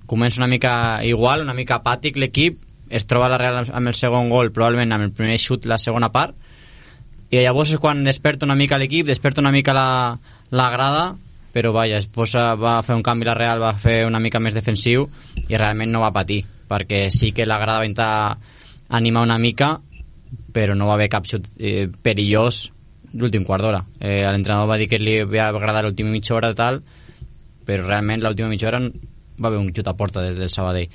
comença una mica igual, una mica apàtic l'equip, es troba la Real amb el segon gol, probablement amb el primer xut la segona part, i llavors és quan desperta una mica l'equip, desperta una mica la grada, però vaja, va fer un canvi la Real, va fer una mica més defensiu i realment no va patir, perquè sí que la grada va intentar animar una mica, però no va haver cap xut perillós l'últim quart d'hora. L'entrenador va dir que li va agradar l'última mitja hora tal, però realment l'última mitja hora va haver un xut a porta des del Sabadell.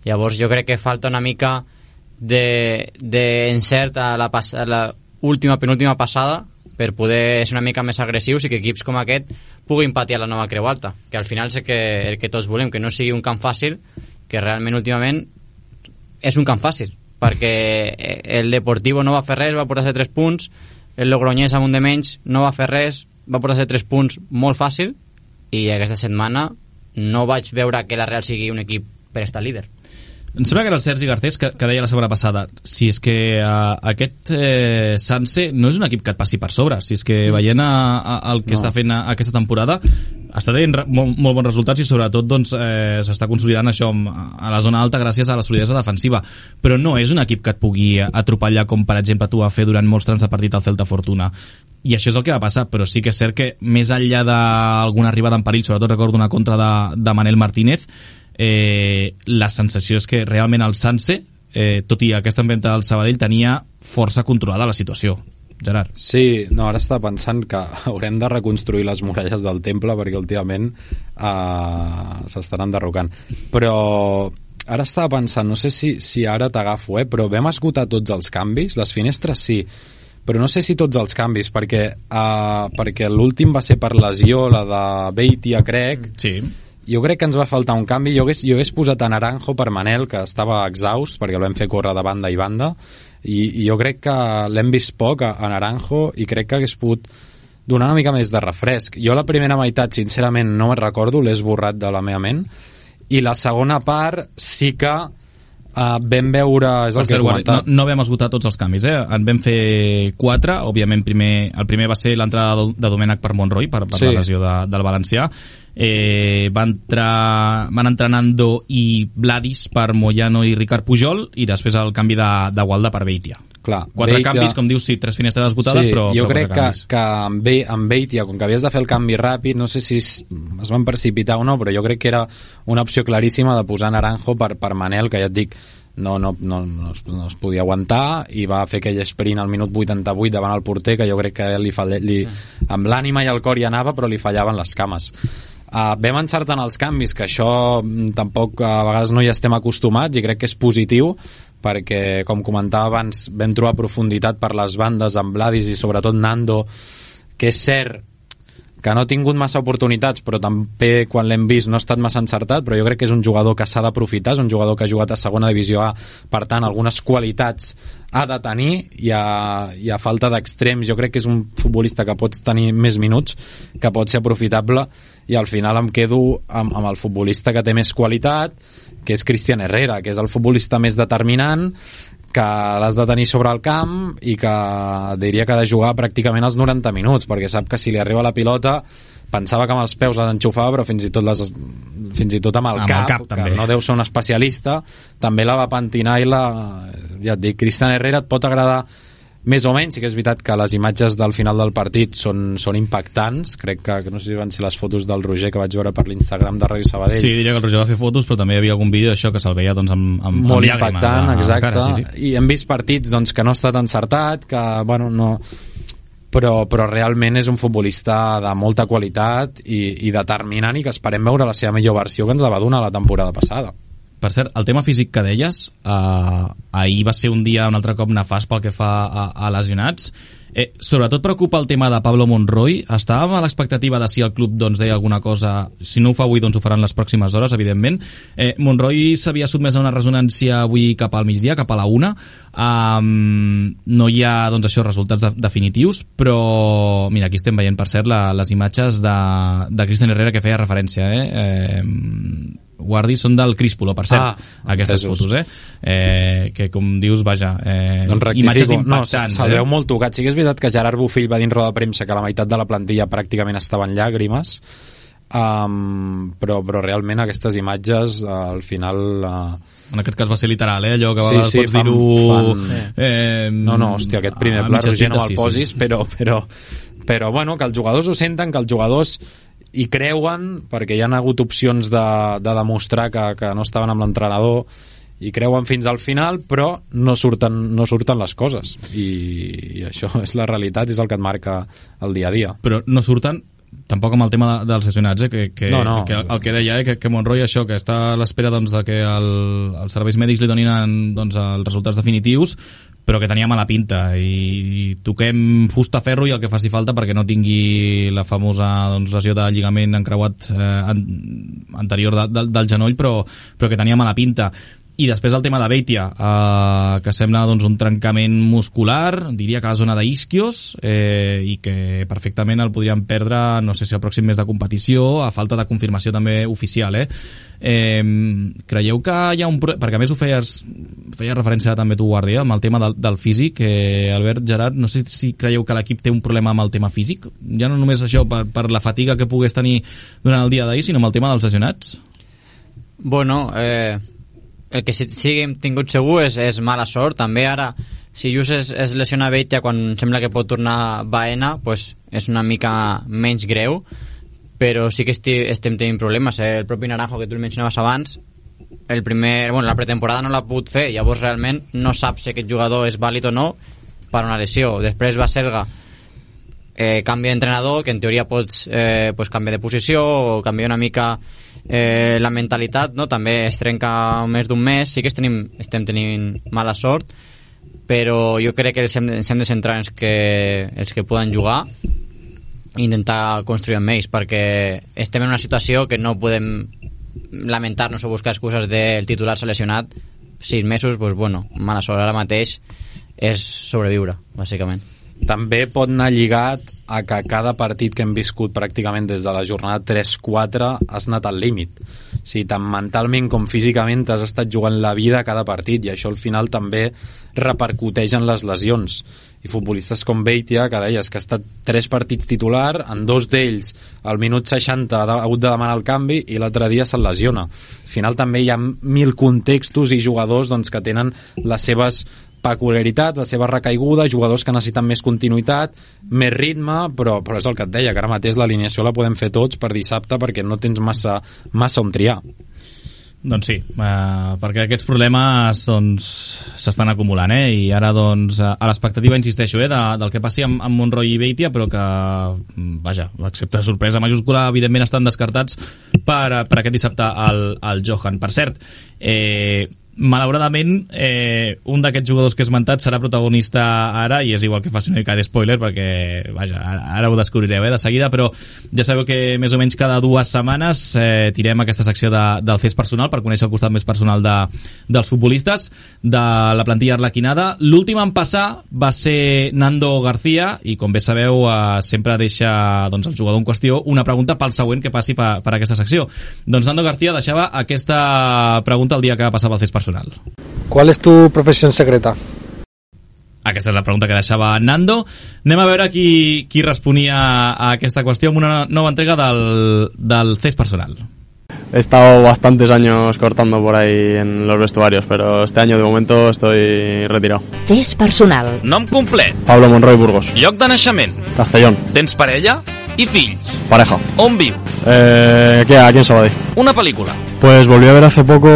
Llavors jo crec que falta una mica d'encert a la penúltima passada per poder ser una mica més agressius i que equips com aquest puguin patir a la nova Creu Alta, que al final és el que tots volem, que no sigui un camp fàcil, que realment últimament és un camp fàcil, perquè el Deportivo no va fer res, va portar-se 3 punts, el Logroñés amb un de menys no va fer res, va portar-se 3 punts molt fàcil, i aquesta setmana no vaig veure que la Real sigui un equip per estar líder. Em sembla que era el Sergi Garcés que deia la setmana passada, si és que aquest Sanse no és un equip que et passi per sobre, si és que veient el que està fent aquesta temporada està tenint molt bons resultats i sobretot doncs, s'està consolidant això a la zona alta gràcies a la solidesa defensiva, però no és un equip que et pugui atropellar com per exemple tu va fer durant molts trams de partit al Celta Fortuna, i això és el que va passar, però sí que és cert que més enllà d'alguna arribada en perill, sobretot recordo una contra de Manel Martínez, la sensació és que realment el Sanse, tot i aquesta venta del Sabadell, tenia força controlada la situació. Gerard. Sí, no, ara estava pensant que haurem de reconstruir les muralles del temple perquè últimament s'estan enderrocant. Però ara estava pensant, no sé si ara t'agafo, però vam esgotar tots els canvis, les finestres sí, però no sé si tots els canvis, perquè l'últim va ser per lesió, la de Beitia, crec. Sí. Jo crec que ens va faltar un canvi. Jo hagués posat a Naranjo per Manel, que estava exhaust, perquè el vam fer córrer de banda i banda, i jo crec que l'hem vist poc a Naranjo, i crec que hagués pogut donar una mica més de refresc. Jo la primera meitat, sincerament, no me'n recordo, l'he esborrat de la meva ment, i la segona part sí que vam veure... És el que he comentat. No vam esgotar tots els canvis, en vam fer 4, òbviament el primer va ser l'entrada de Domènech per Monroy, per la lesió del valencià. Van entrar Nando i Vladis per Moyano i Ricard Pujol, i després el canvi de Gualda per Beitia. Clar, 4 canvis, com dius, sí, 3 finestres esgotades, però jo crec que amb Beitia, com que havies de fer el canvi ràpid, no sé si es van precipitar o no, però jo crec que era una opció claríssima de posar Naranjo per Manel, que ja et dic, no es podia aguantar, i va fer aquell sprint al minut 88 davant el porter, que jo crec que amb l'ànima i el cor hi anava, però li fallaven les cames. Vam encertar en els canvis, que això tampoc a vegades no hi estem acostumats, i crec que és positiu, perquè, com comentava abans, vam trobar profunditat per les bandes amb Vladis i sobretot Nando, que és cert que no ha tingut massa oportunitats, però també quan l'hem vist no ha estat massa encertat, però jo crec que és un jugador que s'ha d'aprofitar, és un jugador que ha jugat a segona divisió A, per tant algunes qualitats ha de tenir, i a falta d'extrems jo crec que és un futbolista que pots tenir més minuts, que pot ser aprofitable, i al final em quedo amb el futbolista que té més qualitat, que és Cristian Herrera, que és el futbolista més determinant, que l'has de tenir sobre el camp, i que diria que ha de jugar pràcticament els 90 minuts, perquè sap que si li arriba la pilota, pensava que amb els peus l'enxufava, però fins i tot amb el cap, que també. No deu ser un especialista, també la va pentinar, i ja et dic, Cristian Herrera et pot agradar més o menys. Sí que és veritat que les imatges del final del partit són impactants. Crec que no sé si van ser les fotos del Roger que vaig veure per l'Instagram de Ràdio Sabadell. Sí, diria que el Roger va fer fotos, però també hi havia algun vídeo d'això que se'l veia doncs, amb molt llàgrima, impactant, exacte. Cara, sí. I hem vist partits doncs, que no ha estat encertat, que bueno, no... però realment és un futbolista de molta qualitat i determinant, i que esperem veure la seva millor versió, que ens la va donar la temporada passada. Per cert, el tema físic que deies, ahir va ser un dia un altre cop nefast pel que fa a lesionats. Sobretot preocupa el tema de Pablo Monroy. Estàvem a l'expectativa de si el club doncs, deia alguna cosa. Si no ho fa avui, doncs ho faran les pròximes hores, evidentment. Monroy s'havia sotmès a una resonància avui cap al migdia, cap a la 1. No hi ha doncs, això, resultats definitius, però mira, aquí estem veient, per cert, les imatges de Cristian Herrera, que feia referència. Guardi, són del Críspolo, per cert, aquestes fotos, que com dius, vaja, imatges impactants. Se'l veu molt tocat. Sí que és veritat que Gerard Bofill va dir en roda de premsa que la meitat de la plantilla pràcticament estava en llàgrimes, però realment aquestes imatges al final... En aquest cas va ser literal, allò que a vegades pots dir-ho... No, hòstia, aquest primer pla, Roger, no me'l posis, però bueno, que els jugadors ho senten, que els jugadors hi creuen, perquè hi ha hagut opcions de demostrar que no estaven amb l'entrenador, i creuen fins al final, però no surten les coses, i això és la realitat, és el que et marca el dia a dia. Però no surten tampoc amb el tema dels lesionats, que el que deia, que Monroy això, que està a l'espera doncs, de que els serveis mèdics li donin doncs, els resultats definitius, però que tenia mala pinta, i toquem fusta ferro i el que faci falta perquè no tingui la famosa doncs, lesió de lligament encreuat anterior del genoll, però que tenia mala pinta. I després el tema de Beitia, que sembla doncs, un trencament muscular, diria que a la zona d'isquios, i que perfectament el podríem perdre, no sé si al pròxim mes de competició, a falta de confirmació també oficial. Creieu que hi ha un... Perquè a més ho feies referència també tu, Guàrdia, amb el tema del físic. Albert, Gerard, no sé si creieu que l'equip té un problema amb el tema físic, ja no només això per la fatiga que pogués tenir durant el dia d'ahir, sinó amb el tema dels lesionats. Bueno, el que sí que hem tingut segur és mala sort. També ara, si just es lesiona Beitia quan sembla que pot tornar Baena, pues és una mica menys greu, però sí que estem tenint problemes. El propi Naranjo, que tu el mencionaves abans, la pretemporada no l'ha pogut fer, llavors realment no saps si aquest jugador és vàlid o no, per una lesió. Després Baselga canvia d'entrenador, que en teoria pots pues canviar de posició o canviar una mica la mentalitat, no? També es trenca més d'un mes. Sí que estem tenint mala sort, però jo crec que ens hem de centrar en els que poden jugar i intentar construir amb ells, perquè estem en una situació que no podem lamentar-nos o buscar excuses del titular seleccionat 6 mesos, doncs bueno, mala sort. Ara mateix és sobreviure, bàsicament. També pot anar lligat a que cada partit que hem viscut pràcticament des de la jornada 3-4 has anat al límit. O sigui, tant mentalment com físicament has estat jugant la vida a cada partit, i això al final també repercuteix en les lesions. I futbolistes com Beitia, que deies que ha estat 3 partits titular, en 2 d'ells al minut 60 ha hagut de demanar el canvi i l'altre dia se'l lesiona. Al final també hi ha 1000 contextos i jugadors doncs, que tenen les seves peculiaritats, la seva recaiguda, jugadors que necessiten més continuïtat, més ritme, però és el que et deia, que ara mateix l'alineació la podem fer tots per dissabte perquè no tens massa on triar. Doncs sí, perquè aquests problemes s'estan acumulant, i ara doncs a l'expectativa, insisteixo, del que passi amb Monroy i Beitia, però que, vaja, excepte sorpresa majúscula, evidentment estan descartats per aquest dissabte al Johan. Per cert, malauradament un d'aquests jugadors que he esmentat serà protagonista ara, i és igual que faci una mica de spoiler perquè, vaja, ara ho descobrireu de seguida, però ja sabeu que més o menys cada 2 setmanes tirem aquesta secció del CES personal per conèixer el costat més personal dels futbolistes de la plantilla arlequinada. L'últim en passar va ser Nando García, i com bé sabeu sempre deixa doncs, el jugador en qüestió una pregunta pel següent que passi per aquesta secció. Doncs Nando García deixava aquesta pregunta el dia que passava el CES personal. ¿Cuál es tu profesión secreta? Aquesta és la pregunta que deixava Nando. Anem a veure qui responia a aquesta qüestió amb una nova entrega del CES personal. He estado bastantes años cortando por ahí en los vestuarios, pero este año de momento estoy retirado. CES personal. Nom complet. Pablo Monroy Burgos. Lloc de naixement. Castellón. Tens parella i fills. Pareja. On viu? Aquí en Sabadell. Una pel·lícula. Pues volví a ver hace poco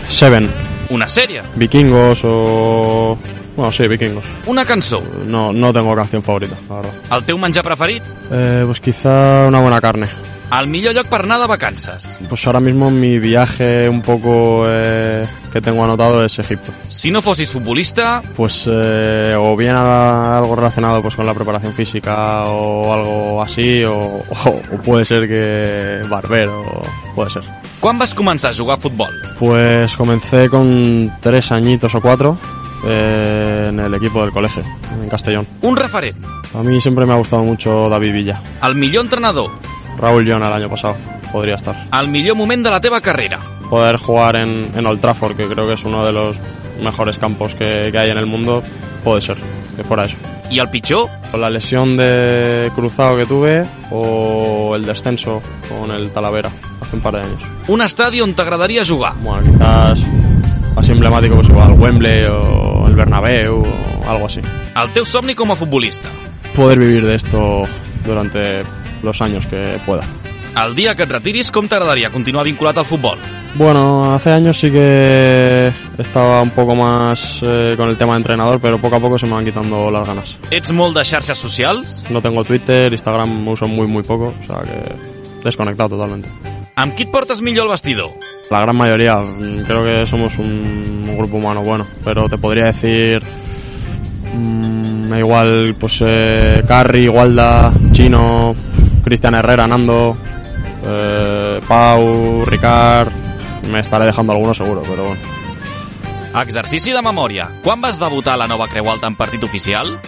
Seven. Una sèrie. Vikingos o... Bueno, sí, Vikingos. Una cançó. No tengo canción favorita, la verdad. El teu menjar preferit? Pues quizá una buena carne. El millor lloc per anar de vacances? Pues ahora mismo mi viaje un poco que tengo anotado es Egipto. Si no fossis futbolista... Pues o bien algo relacionado pues con la preparación física o algo así, o puede ser que barbero, puede ser. Quan vas començar a jugar a futbol? Pues comencé con 3 añitos o 4 en el equipo del colegio, en Castellón. Un referent? A mí siempre me ha gustado mucho David Villa. El millor entrenador? Raúl Llona el año pasado, podría estar. El millor moment de la teva carrera? Poder jugar en Old Trafford, que creo que es uno de los mejores campos que hay en el mundo, puede ser, que fuera eso. ¿Y el pitjor? La lesión de cruzado que tuve o el descenso con el Talavera hace un par de años. Un estadi on t'agradaria jugar? Bueno, quizás así emblemático, pues igual Wembley o el Bernabéu o algo así. El teu somni com a futbolista? Poder vivir de esto durante los años que pueda. El dia que et retiris, com t'agradaria continuar vinculat al futbol? Bueno, hace años sí que estaba un poco más con el tema de entrenador, pero poco a poco se me van quitando las ganas. Ets molt de xarxes socials? No tengo Twitter, Instagram uso muy poco, o sea que desconectado totalmente. Amb qui et portes millor al vestidor? La gran mayoría, creo que somos un grupo humano bueno, pero te podría decir igual pues Carri, Walda, Chino, Cristian Herrera, Nando, Pau, Ricard, me estaré dejando alguno seguro, pero bueno. Exercici de memòria. Quan vas debutar a la nova Creu Alta en partit oficial?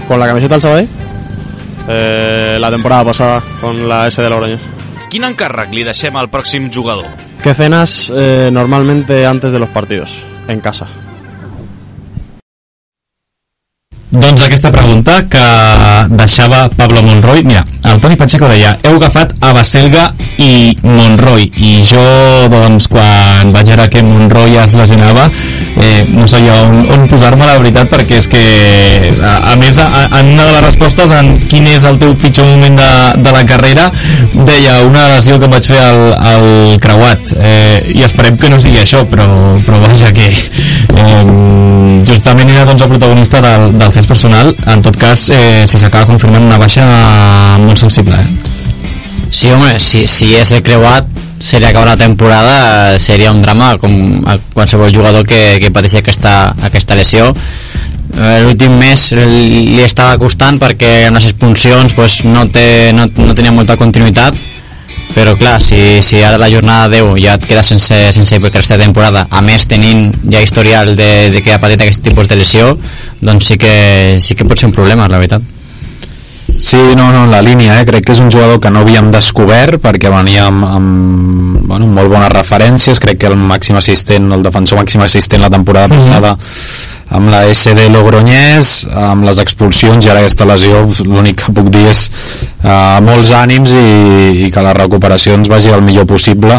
Con la camiseta del Sabadell, la temporada pasada con la S de Logroñés. Quin encàrrec li deixem al pròxim jugador? ¿Qué cenas normalmente antes de los partidos? En casa. Doncs aquesta pregunta que deixava Pablo Monroy, mira, el Toni Pacheco deia, heu agafat a Baselga i Monroy, i jo doncs quan vaig veure que Monroy es lesionava no sabia on posar-me, la veritat, perquè és que a més en una de les respostes en quin és el teu pitjor moment de la carrera deia una lesió que em vaig fer al creuat, i esperem que no sigui això, però vaja que justament era doncs el protagonista del test personal. En tot cas, si s'acaba confirmant una baixa molt sensible, Sí, home, si és el creuat, seria acabar la temporada, seria un drama com a qualsevol jugador que pateixi aquesta lesió. L'últim mes li estava costant perquè en les expulsions pues, no tenia molta continuïtat, però clar, si ara la jornada 10 ja et queda sense per aquesta temporada, a més tenint ja historial de que ha patit aquest tipus de lesió, doncs sí que pot ser un problema, la veritat. Sí, no, en la línia, crec que és un jugador que no havíem descobert perquè venia amb molt bones referències. Crec que el màxim assistent, el defensor màxim assistent la temporada passada amb la SD Logroñés, amb les expulsions, i ara aquesta lesió, l'únic que puc dir és molts ànims i que la recuperació ens vagi el millor possible,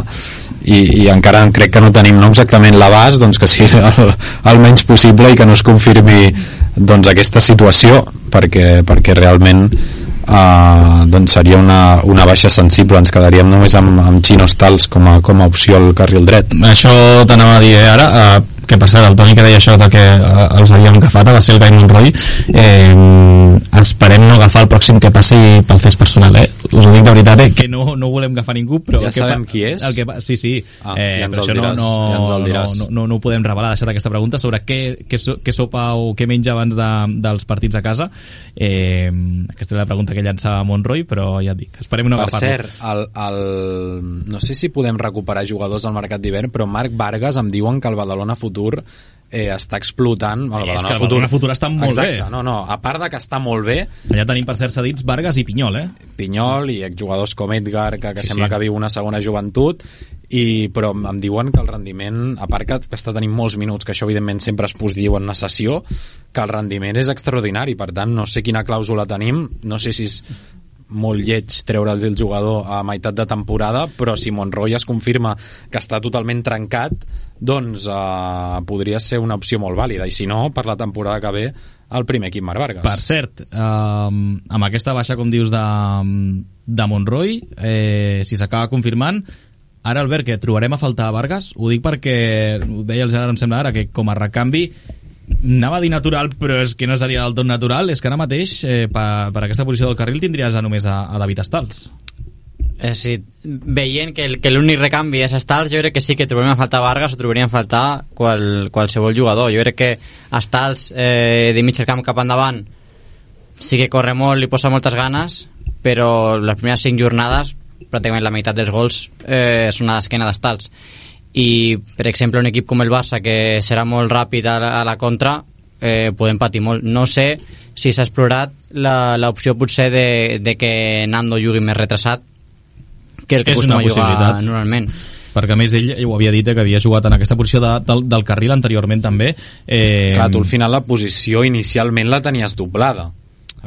i encara crec que no tenim exactament l'abast, doncs que sigui el menys possible i que no es confirmi doncs aquesta situació, perquè realment doncs seria una baixa sensible. Ens quedaríem només amb Chinos Tals com a opció al carril dret. Això t'anava a dir ara, que per cert, el Toni que deia això de que els havíem agafat a Baselga i Monroy, esperem no agafar el pròxim que passi pel test personal, us ho dic de veritat, que no volem agafar ningú, però ja sabem qui és? Sí, ja ens però això el diràs. No ho podem revelar, deixar aquesta pregunta sobre què sopa o què menja abans dels partits a casa. Aquesta és la pregunta que llançava Monroy, però ja et dic, esperem no agafar-lo. Per cert, no sé si podem recuperar jugadors al mercat d'hivern, però Marc Vargas em diuen que el Badalona Futur està explotant. És que el Badalona Futur està molt bé. Exacte, a part de que està molt bé, allà tenim per cert cedits Vargas i Pinyol, Pinyol i exjugadors com Edgar, que sembla que viu una segona joventut, però em diuen que el rendiment, a part que està tenint molts minuts, que això evidentment sempre es posdiu en una sessió, que el rendiment és extraordinari. Per tant, no sé quina clàusula tenim, no sé si és molt lleig treure'ls el jugador a meitat de temporada, però si Monroy es confirma que està totalment trencat, doncs podria ser una opció molt vàlida, i si no, per la temporada que ve el primer equip Marc Vargas. Per cert, amb aquesta baixa, com dius, de Monroy, si s'acaba confirmant, ara, Albert, que trobarem a faltar a Vargas, ho dic perquè ho deia el Gerard, em sembla ara, que com a recanvi anava a dir natural, però és que no seria del tot natural, és que ara mateix per aquesta posició del carril tindries només a David Stals. Sí, veient que l'únic recanvi és Stals, jo crec que sí que trobaríem a faltar Vargas o trobaríem a faltar qualsevol jugador. Jo crec que Stals de mig camp cap endavant sí que corre molt, li posa moltes ganes, però les primeres 5 jornades pràcticament la meitat dels gols són a l'esquena d'Stals. I per exemple un equip com el Barça, que serà molt ràpid a la contra, podem patir molt. No sé si s'ha explorat l'opció potser de que Nando jugui més retrasat que el que acostuma a jugar normalment, perquè a més ell ho havia dit que havia jugat en aquesta posició del carril anteriorment també. Clar, tu al final la posició inicialment la tenies doblada,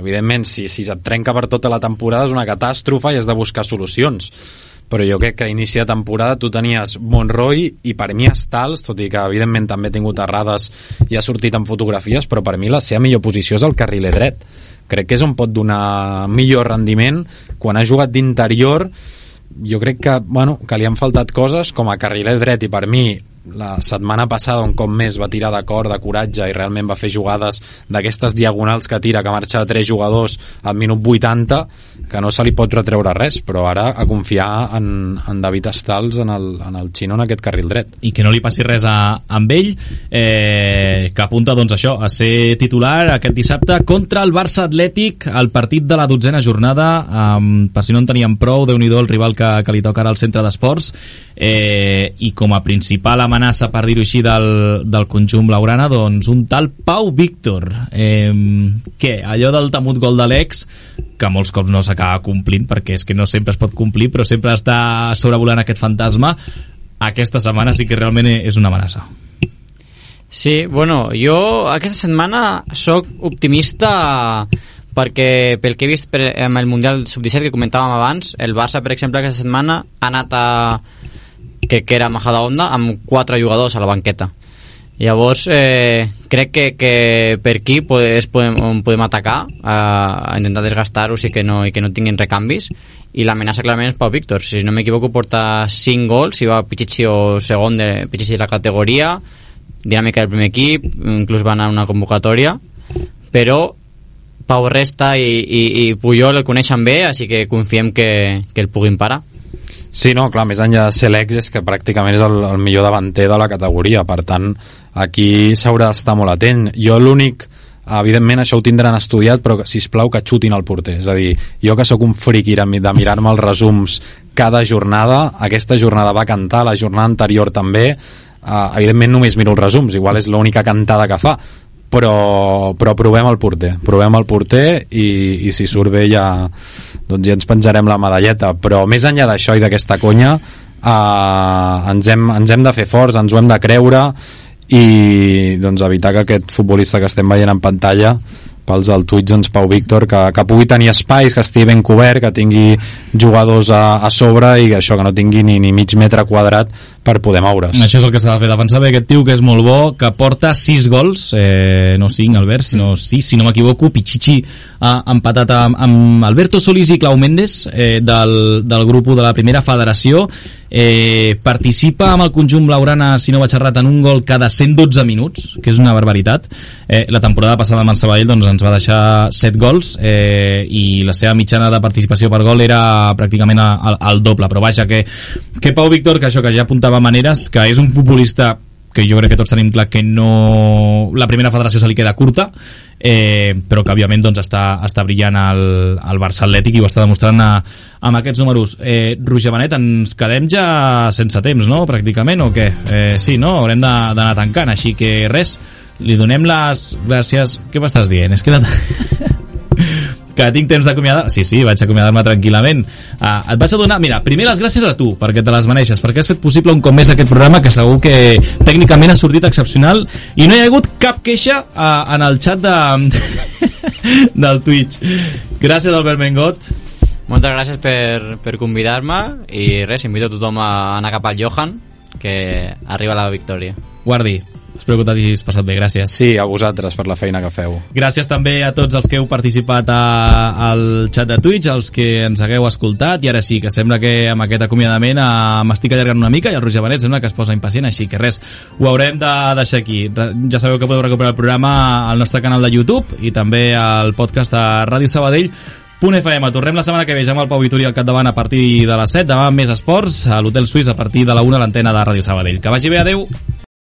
evidentment si et trenca per tota la temporada és una catàstrofe i has de buscar solucions, però jo crec que a inici de temporada tu tenies Monroy i per mi Stals, tot i que evidentment també ha tingut errades i ha sortit en fotografies, però per mi la seva millor posició és el carriler dret. Crec que és on pot donar millor rendiment. Quan ha jugat d'interior jo crec que li han faltat coses com a carriler dret, i per mi la setmana passada un cop més va tirar d'acord, de coratge, i realment va fer jugades d'aquestes diagonals que tira, que marxa de 3 jugadors al minut 80, que no se li pot retreure res, però ara a confiar en David Stals, en el xino, en aquest carril dret. I que no li passi res amb ell, que apunta doncs això, a ser titular aquest dissabte contra el Barça Atlètic, el partit de la 12a jornada, per si no en teníem prou, Déu-n'hi-do el rival que li toca ara al centre d'esports, i com a principal amenaça, per dir-ho així, del conjunt blaugrana, doncs un tal Pau Víctor, que allò del temut gol de l'ex, que molts cops no s'acaba complint, perquè és que no sempre es pot complir, però sempre està sobrevolant aquest fantasma, aquesta setmana sí que realment és una amenaça. Sí, bueno, jo aquesta setmana sóc optimista perquè pel que he vist amb el Mundial Sub-17 que comentàvem abans, el Barça, per exemple, aquesta setmana ha anat que era Majadahonda amb 4 jugadors a la banqueta. Llavors, crec que per aquí podem atacar, a intentar desgastar-los i que no tinguin recanvis, i l'amenaça clarament és Pau Víctor. Si no m'equivoco, porta 5 gols, i va Pichichi o segon de Pichichi de la categoria, dinàmica del primer equip, inclús va anar a una convocatòria, però Pau Resta i Puyol el coneixen bé, així que confiem que el puguin parar. Sí, no, clar, més enllà de ser l'ex és que pràcticament és el millor davanter de la categoria, per tant aquí s'haurà d'estar molt atent. Jo l'únic, evidentment això ho tindran estudiat, però sisplau que xutin el porter, és a dir, jo que sóc un friqui de mirar-me els resums cada jornada, aquesta jornada va cantar, la jornada anterior també, evidentment només miro els resums, igual és l'única cantada que fa, però provem el porter i si surt bé ja ens penjarem la medalleta. Però més enllà d'això i d'aquesta conya, ens hem de fer forts, ens ho hem de creure i doncs evitar que aquest futbolista que estem veient en pantalla pels al Twitch, doncs Pau Víctor, que pugui tenir espais, que estigui ben cobert, que tingui jugadors a sobre i això, que no tingui ni mig metre quadrat per poder moure's. Això és el que s'ha de fer, defensar bé aquest tio, que és molt bo, que porta 6 gols, no 5 Albert, sinó 6, si no m'equivoco. Pichichi ha empatat amb Alberto Solís i Clau Méndez del grup de la primera federació. Participa amb el conjunt blaugrana, si no vaig errat, en un gol cada 112 minuts, que és una barbaritat. La temporada passada amb el Sabadell doncs, ens va deixar 7 gols i la seva mitjana de participació per gol era pràcticament el doble, però vaja, que Pau Víctor, que això que ja apuntava Maneres, que és un futbolista que jo crec que tots tenim clar que no, la primera federació se li queda curta, però que òbviament doncs, està brillant al Barça Atlètic i ho està demostrant amb aquests números. Roger Benet, ens quedem ja sense temps, no? Pràcticament, o què? Sí, no? Haurem d'anar tancant, així que res, li donem les gràcies. Què m'estàs dient? És que que tinc temps d'acomiadar. Sí, vaig acomiadar-me tranquil·lament. Et vaig a donar, mira, primer les gràcies a tu, perquè te les mereixes, perquè has fet possible un cop més aquest programa, que segur que tècnicament ha sortit excepcional i no hi ha hagut cap queixa en el xat del Twitch. Gràcies, Albert Mengot. Moltes gràcies per convidar-me i res, invito a tothom a anar cap al Johan, que arriba la victòria. Guardi, espero que t'hagis passat bé, gràcies. Sí, a vosaltres per la feina que feu. Gràcies també a tots els que heu participat al xat de Twitch, els que ens hagueu escoltat, i ara sí, que sembla que amb aquest acomiadament m'estic allargant una mica i el Roger Benet sembla que es posa impacient, així que res, ho haurem de deixar aquí. Ja sabeu que podeu recuperar el programa al nostre canal de YouTube i també al podcast de Ràdio Sabadell.fm. Tornem la setmana que ve, ja amb el Pau Vitori al capdavant a partir de les 7, demà més esports a l'Hotel Suís a partir de la 1 a l'antena de Ràdio Sabadell. Que vagi bé, adeu!